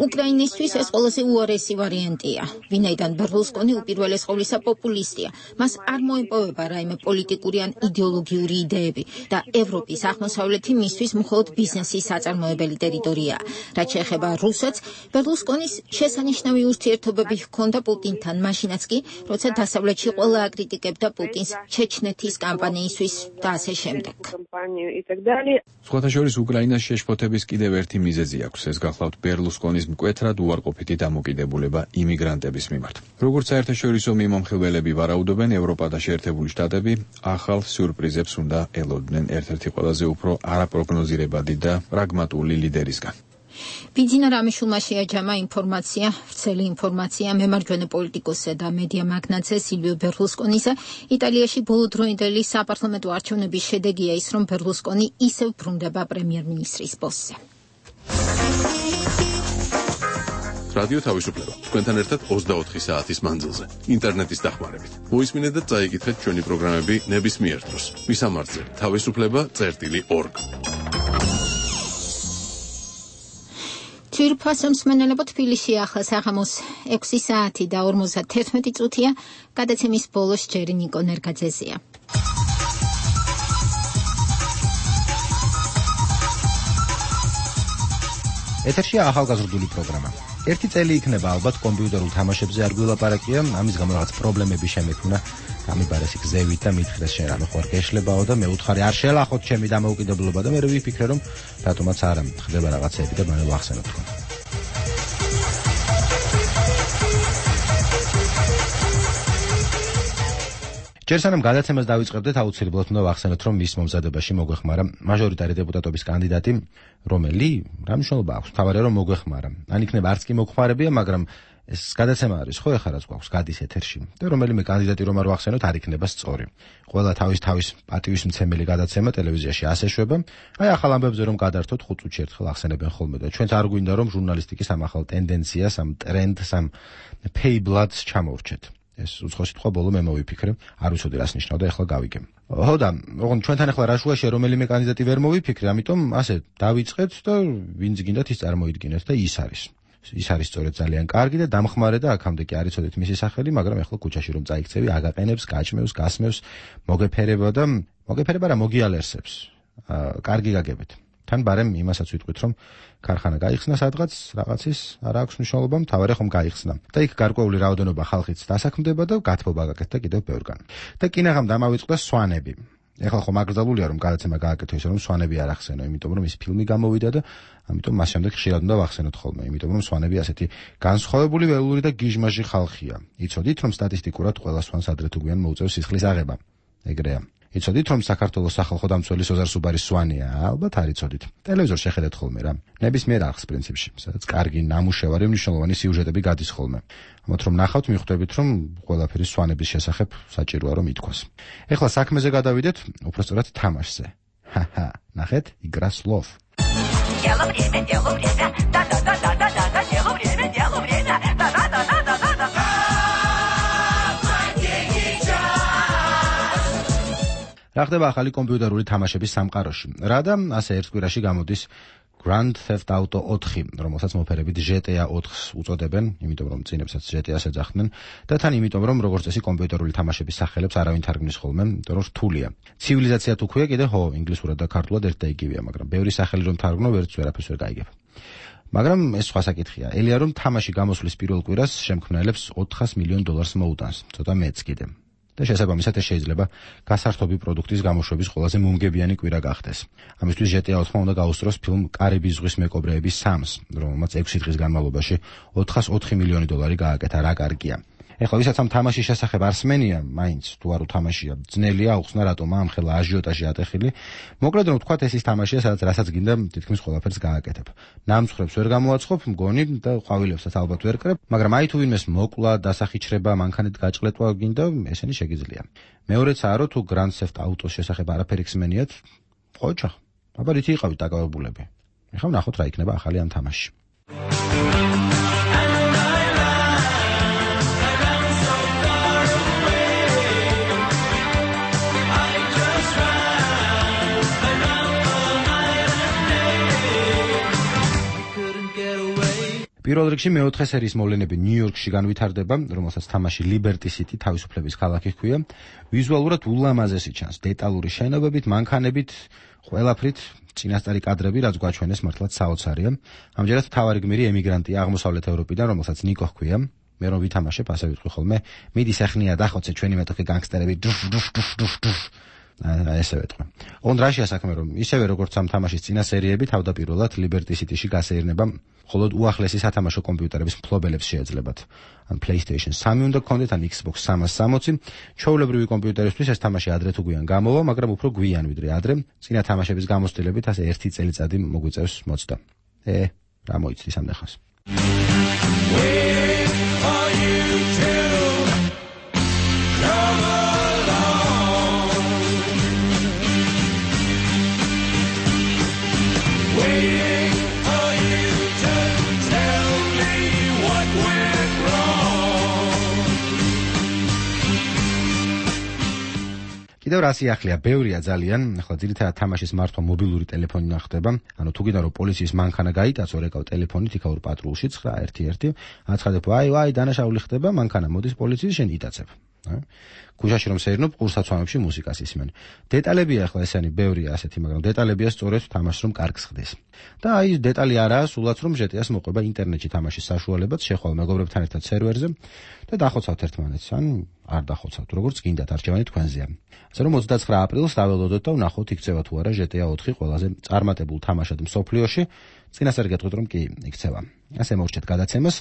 უკრაინისთვის ეს ყველაზე უარესი ვარიანტია. ვინაიდან ბერლუსკონი უპირველეს ყოვლისა პოპულისტია. მას არ მოეპოვება რაიმე პოლიტიკური ან იდეოლოგიური იდეები და ევროპის აღმოსავლეთი მისთვის მხოლოდ ბიზნესის საწარმოებელი ტერიტორიაა. რაც შეეხება რუსეთს, ბერლუსკონის შესანიშნავი ურთიერთობები ჰქონდა პუტინთან, მაშინაც კი, როცა დასავლეთში ყველა აკრიტიკებდა პუტინს ჩეჩნეთის კამპანიისთვის და ასე შემდეგ. სხვათა შორის უკრაინას შეშფოთების კიდევ ერთი მიზეზი აქვს. ეს გახლავთ ბერლუსკონის მკვეთრად უარყოფითი დამოკიდებულება იმიგრანტების მიმართ. როგორც საერთაშორისო მიმომხილველები ვარაუდობენ, ევროპა და შეერთებული შტატები ახალ სიურპრიზებს უნდა ელოდნენ ერთ-ერთი ყველაზე უფრო არაპროგნოზირებადი და პრაგმატული ლიდერისგან. ბიძინა რამიშულმა შეაჯამა ინფორმაცია, ვრცელი ინფორმაცია მემარჯვენე პოლიტიკოსზე და მედია მაგნატზე სილვიო ბერლუსკონისა იტალიაში ბოლოდროინდელი საპარლამენტო არჩევნების შედეგია ის, რომ ბერლუსკონი ისევ ბრუნდება პრემიერ-მინისტრის პოსტზე. რადიო თავისუფლება. თქვენთან ერთად ოცდაოთხი საათის მანძილზე. ინტერნეტის დახმარებით. მოისმინეთ და წაიკითხეთ ჩვენი პროგრამები ნებისმიერ დროს. მისამართზე თავისუფლება წერტილი ორგ. ძვირფასო მსმენელებო, თბილისში ახლა საღამოს ექვსი საათი და ორმოცდათერთმეტი წუთია, გადაცემის ბოლოს ჯერი ნიკო ნერგაძეზია. ეთერშია ახალგაზრდული პროგრამა. ერთი წელი იქნება ალბათ კომპიუტერულ თამაშებზე არ გვილაპარაკია, ამის გამო რაღაც პრობლემები შემექმნა. გამიბარესი გზევით და მითხრეს შენ რამე ხوار გეშლებაო და მე უთხარი არ შელახოთ ჩემი დამოუკიდებლობა და მე ვიფიქრე რომ რატომაც არა ხდება რაღაცები და მანე ვახსენოთ თქვენ. ჯერ სანამ გადაცემას დავიწყებდეთ, აუცილებლად უნდა ვახსენოთ, რომ მის მომზადებაში მოგვეხმარა მაჟორიტარი დეპუტატობის კანდიდატი, რომელი რა მნიშვნელობა აქვს? თავარია რომ მოგვეხმარა. ან იქნება არც კი მოგვხმარებია, მაგრამ ეს გადაცემა არის, ხო, ეხლა რაც გვაქვს გადის ეთერში და რომელიმე კანდიდატი რომ არ ვახსენოთ, არ იქნება სწორი. ყველა თავის თავის პატივისმცემელი გადაცემა ტელევიზიაში ასე შვება. აი ახალ ამბებზე რომ გადართოთ ხუთ წუთში ერთხელ ახსენებენ ხოლმე და ჩვენც არ გვინდა რომ ჟურნალისტიკის ამ ახალ ტენდენციას, ამ ტრენდს, ამ pay-blood-ს ჩამოვრჩეთ. ეს უცხო სიტყვა ბოლო მე მოვიფიქრე, არ ვიცოდი რას ნიშნავდა, ეხლა გავიგე. ხო და, ოღონდ ჩვენთან ეხლა რა შუაშია რომელიმე კანდიდატი ვერ მოვიფიქრე, ამიტომ ასე დავიწყეთ და ვინც გინდათ ის წარმოიდგინეთ და ის არის. ის არის სწორედ ძალიან კარგი და დამხმარე და აქამდე კი არ იცოდით მისი სახელი, მაგრამ ეხლა ქუჩაში რომ წაიქცევი, აგაყენებს, გაჭმევს, გასმევს, მოგეფერება და მოგეფერება რა მოგიალერსებს. კარგი გაგებით. თან ბარემ იმასაც ვიტყვით, რომ ქარხანა გაიხსნა სადღაც, რაღაცის არ აქვს მნიშვნელობა, მთავარი ხომ გაიხსნა. და იქ გარკვეული რაოდენობა ხალხიც დასაქმდება და გათბობა გაკეთდა კიდევ ბევრგან. და კინაღამ დამავიწყდა სვანები. ეხლა ხომ აკრძალულია რომ გადაცემა გააკეთო ისე რომ სვანები არ ახსენო, იმიტომ რომ ის ფილმი გამოვიდა და ამიტომ მას შემდეგ ხშირად უნდა ვახსენოთ ხოლმე, იმიტომ რომ სვანები ასეთი განსხვავებული ველური და გიჟმაჟი ხალხია. იცოდით რომ სტატისტიკურად ყველა სვანს ადრე თუ გვიან მოუწევს სისხლის აღება. ეგრეა. იცოდით რომ საქართველოს სახალხო დამცველი სოზარ სუბარის სვანია? ალბათ არ იცოდით. ტელევიზორში შეხედეთ ხოლმე რა. ნებისმიერ არხს პრინციპში, სადაც კარგი ნამუშევარი, მნიშვნელოვანი სიუჟეტები გადის ხოლმე. ამათ რომ ნახავთ, მიხვდებით რომ ყველაფერი სვანების შესახებ საჭიროა რომ ითქვას. ეხლა საქმეზე გადავიდეთ, უბრალოდ თამაშზე. ჰაჰა, ნახეთ, игра слов. Дело время, дело время. Да-да-да-да-да-да, дело время, дело время. Да-да-да-да-да-да. რა ხდება ახალი კომპიუტერული თამაშების სამყაროში? რა და ასე ერთ კვირაში გამოდის Grand Theft Auto ოთხი, რომელსაც მოფერებით ჯი ტი ეი ოთხს უწოდებენ, იმიტომ რომ წინებსაც ჯი ტი ეის ეძახდნენ და თან იმიტომ რომ როგორც წესი კომპიუტერული თამაშების სახელებს არავინ თარგმნის ხოლმე, იმიტომ რომ რთულია. ცივილიზაცია თუ ქვია კიდე ხო, ინგლისურად და ქართულად ერთ და იგივეა, მაგრამ ბევრი სახელი რომ თარგმნო, ვერც ვერაფერს ვერ გაიგებ. მაგრამ ეს სხვა საკითხია. ელია რომ თამაში გამოსვლის პირველ კვირას შემქმნელებს ოთხას მილიონ დოლარს მოუტანს, ცოტა მეც კიდე. და შესაბამისად ეს შეიძლება გასართობი პროდუქტის გამოშვების ყველაზე მომგებიანი კვირა გახდეს. ამისთვის ჯეტ ეი ოთხმა უნდა გაუსწროს ფილმ კარიბის ზღვის მეკობრეების სამს, რომელმაც ექვსი დღის განმავლობაში ოთხას ოთხი მილიონი დოლარი გააკეთა, რა კარგია. ეხლა ვისაც ამ თამაშის შესახებ არსმენია, მაინც თუ არ უთამაშია, ძნელია აუხსნა რატომ ამ ხელა აჟიოტაჟი ატეხილი. მოკლედ რომ ვთქვათ, ეს ის თამაშია, სადაც რასაც გინდა თითქმის ყველაფერს გააკეთებ. ნამცხრებს ვერ გამოაცხობ, მგონი და ყვავილებსაც ალბათ ვერ კრებ, მაგრამ აი თუ ვინმეს მოკლა, დასახიჩრება, მანქანით გაჭყლეტვა გინდა, ესენი შეგიძლია. მეორეცაა რომ თუ Grand Theft Auto-ს შესახებ არაფერი ხსმენიათ, ხო ჩახ. აბა რითი იყავით დაკავებულები. ეხლა ვნახოთ რა იქნება ახალი ამ თამაში. პირველ რიგში მეოთხე სერიის მოვლენები ნიუ-იორკში განვითარდება, რომელსაც თამაში Liberty City თავისუფლების ქალაქი ჰქვია. ვიზუალურად ულამაზესი ჩანს, დეტალური შენობებით, მანქანებით, ყველაფრით, წინასწარი კადრები, რაც გვაჩვენეს მართლაც საოცარია. ამჯერად მთავარი გმირი ემიგრანტია აღმოსავლეთ ევროპიდან, რომელსაც ნიკო ჰქვია. მე რომ ვითამაშებ, ასე ვიტყვი ხოლმე, მიდი სახნია დახოცე ჩვენი მეტოქე განგსტერები. დუშ დუშ დუშ დუშ დუშ აი ესე ვეთქვი. ონდრაშია საქმე რომ ისევე როგორც ამ თამაშის წინა სერიები თავდაპირველად Liberty City-ში გასეირნება მხოლოდ უახლესი სათამაშო კომპიუტერების მფლობელებს შეეძლებათ. ან PlayStation სამი უნდა გქონდეთ, ან Xbox სამას სამოცი. ჩვეულებრივი კომპიუტერისთვის ეს თამაში ადრე თუ გვიან გამოვა, მაგრამ უფრო გვიან ვიდრე ადრე. წინა თამაშების გამოცდილებით ასე ერთი წელიწადი მოგვიწევს მოწდა. ე, რა მოიცდის ამ ნახავს. კიდევ რა სიახლეა, ბევრია ძალიან, ახლა ძირითადად თამაშის მართვა მობილური ტელეფონიდან ხდება. ანუ თუ გინდა რომ პოლიციის მანქანა გაიტაცო, რეკავ ტელეფონით იქაურ პატრულში ცხრა ერთი ერთი, აცხადებო, აი, აი, დანაშაული ხდება, მანქანა მოდის პოლიციის, შენ იტაცებ. ქუჩაში რომ სეირნობ, ყურსაცვამებში მუსიკას ისმენ. დეტალებია ახლა ესენი ბევრია ასეთი, მაგრამ დეტალებია სწორედ თამაშს რომ კარგს ხდეს. და აი დეტალი არაა, სულაც რომ ჯეტ ეი-ს მოყვება ინტერნეტში თამაშის საშუალებაც, შეხვალ მეგობრებთან ერთად სერვერზე და დახოცავთ ერთმანეთს, ან არ დახოცავთ, როგორც გინდათ, არჩევანი თქვენზეა. ასე რომ ოცდაცხრა აპრილს დაველოდოთ და ვნახოთ იქცევა თუ არა ჯეტ ეი ოთხი ყველაზე წარმატებულ თამაშად მსოფლიოში. წინასწარ გეტყვით რომ კი იქცევა. ასე მოვჭეთ გადაცემას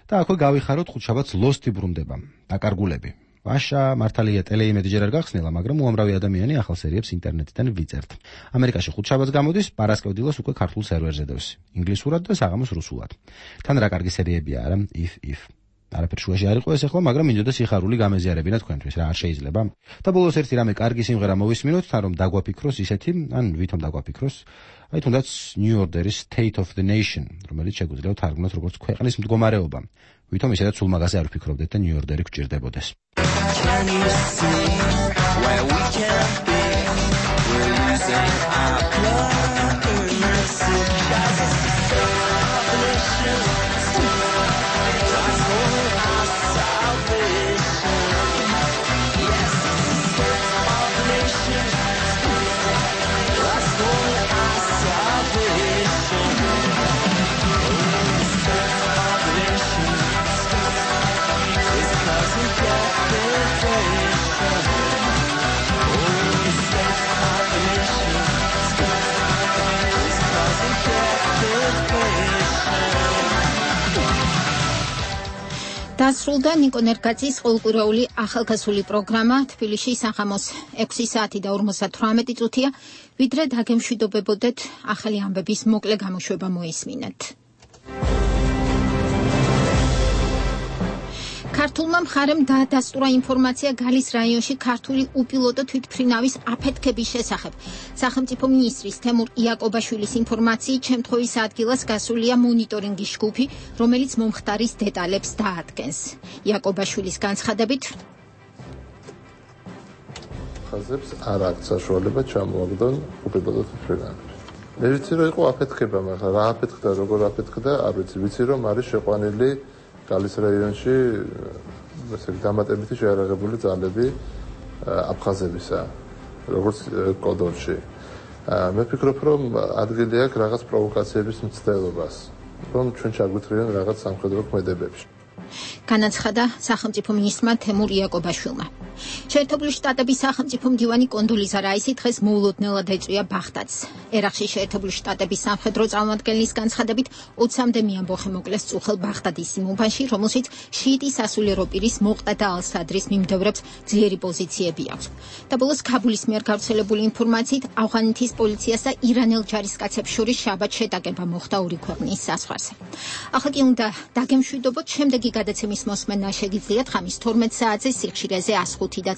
და აქვე გავიხაროთ ხუთშაბათს ლოსტი ბრუნდება. დაკარგულები. ვაშა, მართალია ტელეიმედი ჯერ არ გახსნილა, მაგრამ უამრავი ადამიანი ახალ სერიებს ინტერნეტიდან ვიწერთ. ამერიკაში ხუთშაბათს გამოდის, პარასკევდილას უკვე ქართულ სერვერზე დევს. ინგლისურად და საღამოს რუსულად. თან რა კარგი სერიებია არა, if if. არაფერ შუაში არ იყო ეს ახლა, მაგრამ მინდოდა სიხარული გამეზიარებინა თქვენთვის, რა არ შეიძლება. და ბოლოს ერთი რამე კარგი სიმღერა მოვისმინოთ, თან რომ დაგვაფიქროს ისეთი, ან ვითომ დაგვაფიქროს, აი თუნდაც New Order-ის State of the Nation, რომელიც შეგვიძლია თარგმნოთ როგორც ქვეყნის მდგომარეობა. ვითომ ისედაც სულ მაგაზე არ ვფიქრობდეთ და New Order-ი გვჭირდებოდეს. Can you see where we can be? We're losing our currency. That's a salvation. That's only our salvation. Yes, salvation. That's only our salvation. Salvation. It's cause we get დასრულდა ნიკო ნერგაძის ყოველკვირეული ახალგაზრდული პროგრამა თბილისში სახამოს ექვსი საათი და ორმოცდათვრამეტი წუთია, ვიდრე დაგემშვიდობებოდეთ ახალი ამბების მოკლე გამოშვება მოისმინეთ. ქართულმა მხარემ დაადასტურა ინფორმაცია გალის რაიონში ქართული უპილოტო თვითმფრინავის აფეთქების შესახებ. სახელმწიფო მინისტრის თემურ იაკობაშვილის ინფორმაციით, შემთხვევის ადგილას გასულია მონიტორინგის ჯგუფი, რომელიც მომხდარის დეტალებს დაადგენს. იაკობაშვილის განცხადებით, ხაზებს არ აქვს საშუალება ჩამოაგდონ უპილოტო თვითმფრინავები. მე ვიცი რომ იყო აფეთქება, მაგრამ რა აფეთქდა, როგორ აფეთქდა, არ ვიცი. ვიცი რომ არის შეყვანილი გალის რაიონში ესე დამატებითი შეარაღებული ძალები აფხაზებისა, როგორც კოდორში. მე ვფიქრობ, რომ ადგილი აქვს რაღაც პროვოკაციების მცდელობას. რომ ჩვენ ჩაგვიწრიან რაღაც სამხედრო ქმედებებში. განაცხადა სახელმწიფო მინისტრმა თემურ იაკობაშვილმა. შეერთებული შტატების სახელმწიფო მდივანი კონდოლიზა რაისი დღეს მოულოდნელად ეწვია ბაღდადს. ერაყში შეერთებული შტატების სამხედრო წარმომადგენლის განცხადებით ოცამდე მეამბოხი მოკლეს წუხელ ბაღდადის იმ უბანში, რომელშიც შიიტი სასულიერო პირის მოყდა და ალ-სადრის მიმდევრებს ძლიერი პოზიციები აქვს. და ბოლოს ქაბულის მიერ გავრცელებული ინფორმაციით ავღანეთის პოლიციას და ირანელ ჯარისკაცებს შორის შაბათ შეტაკება მოხდა ორი ქვეყნის საზღვარზე. ახლა კი უნდა დაგემშვიდობოთ, შემდეგი გადაცემის მოსმენა შეგიძლიათ ხამის თორმეტ საათზე სიხშირეზე ას ხუთი და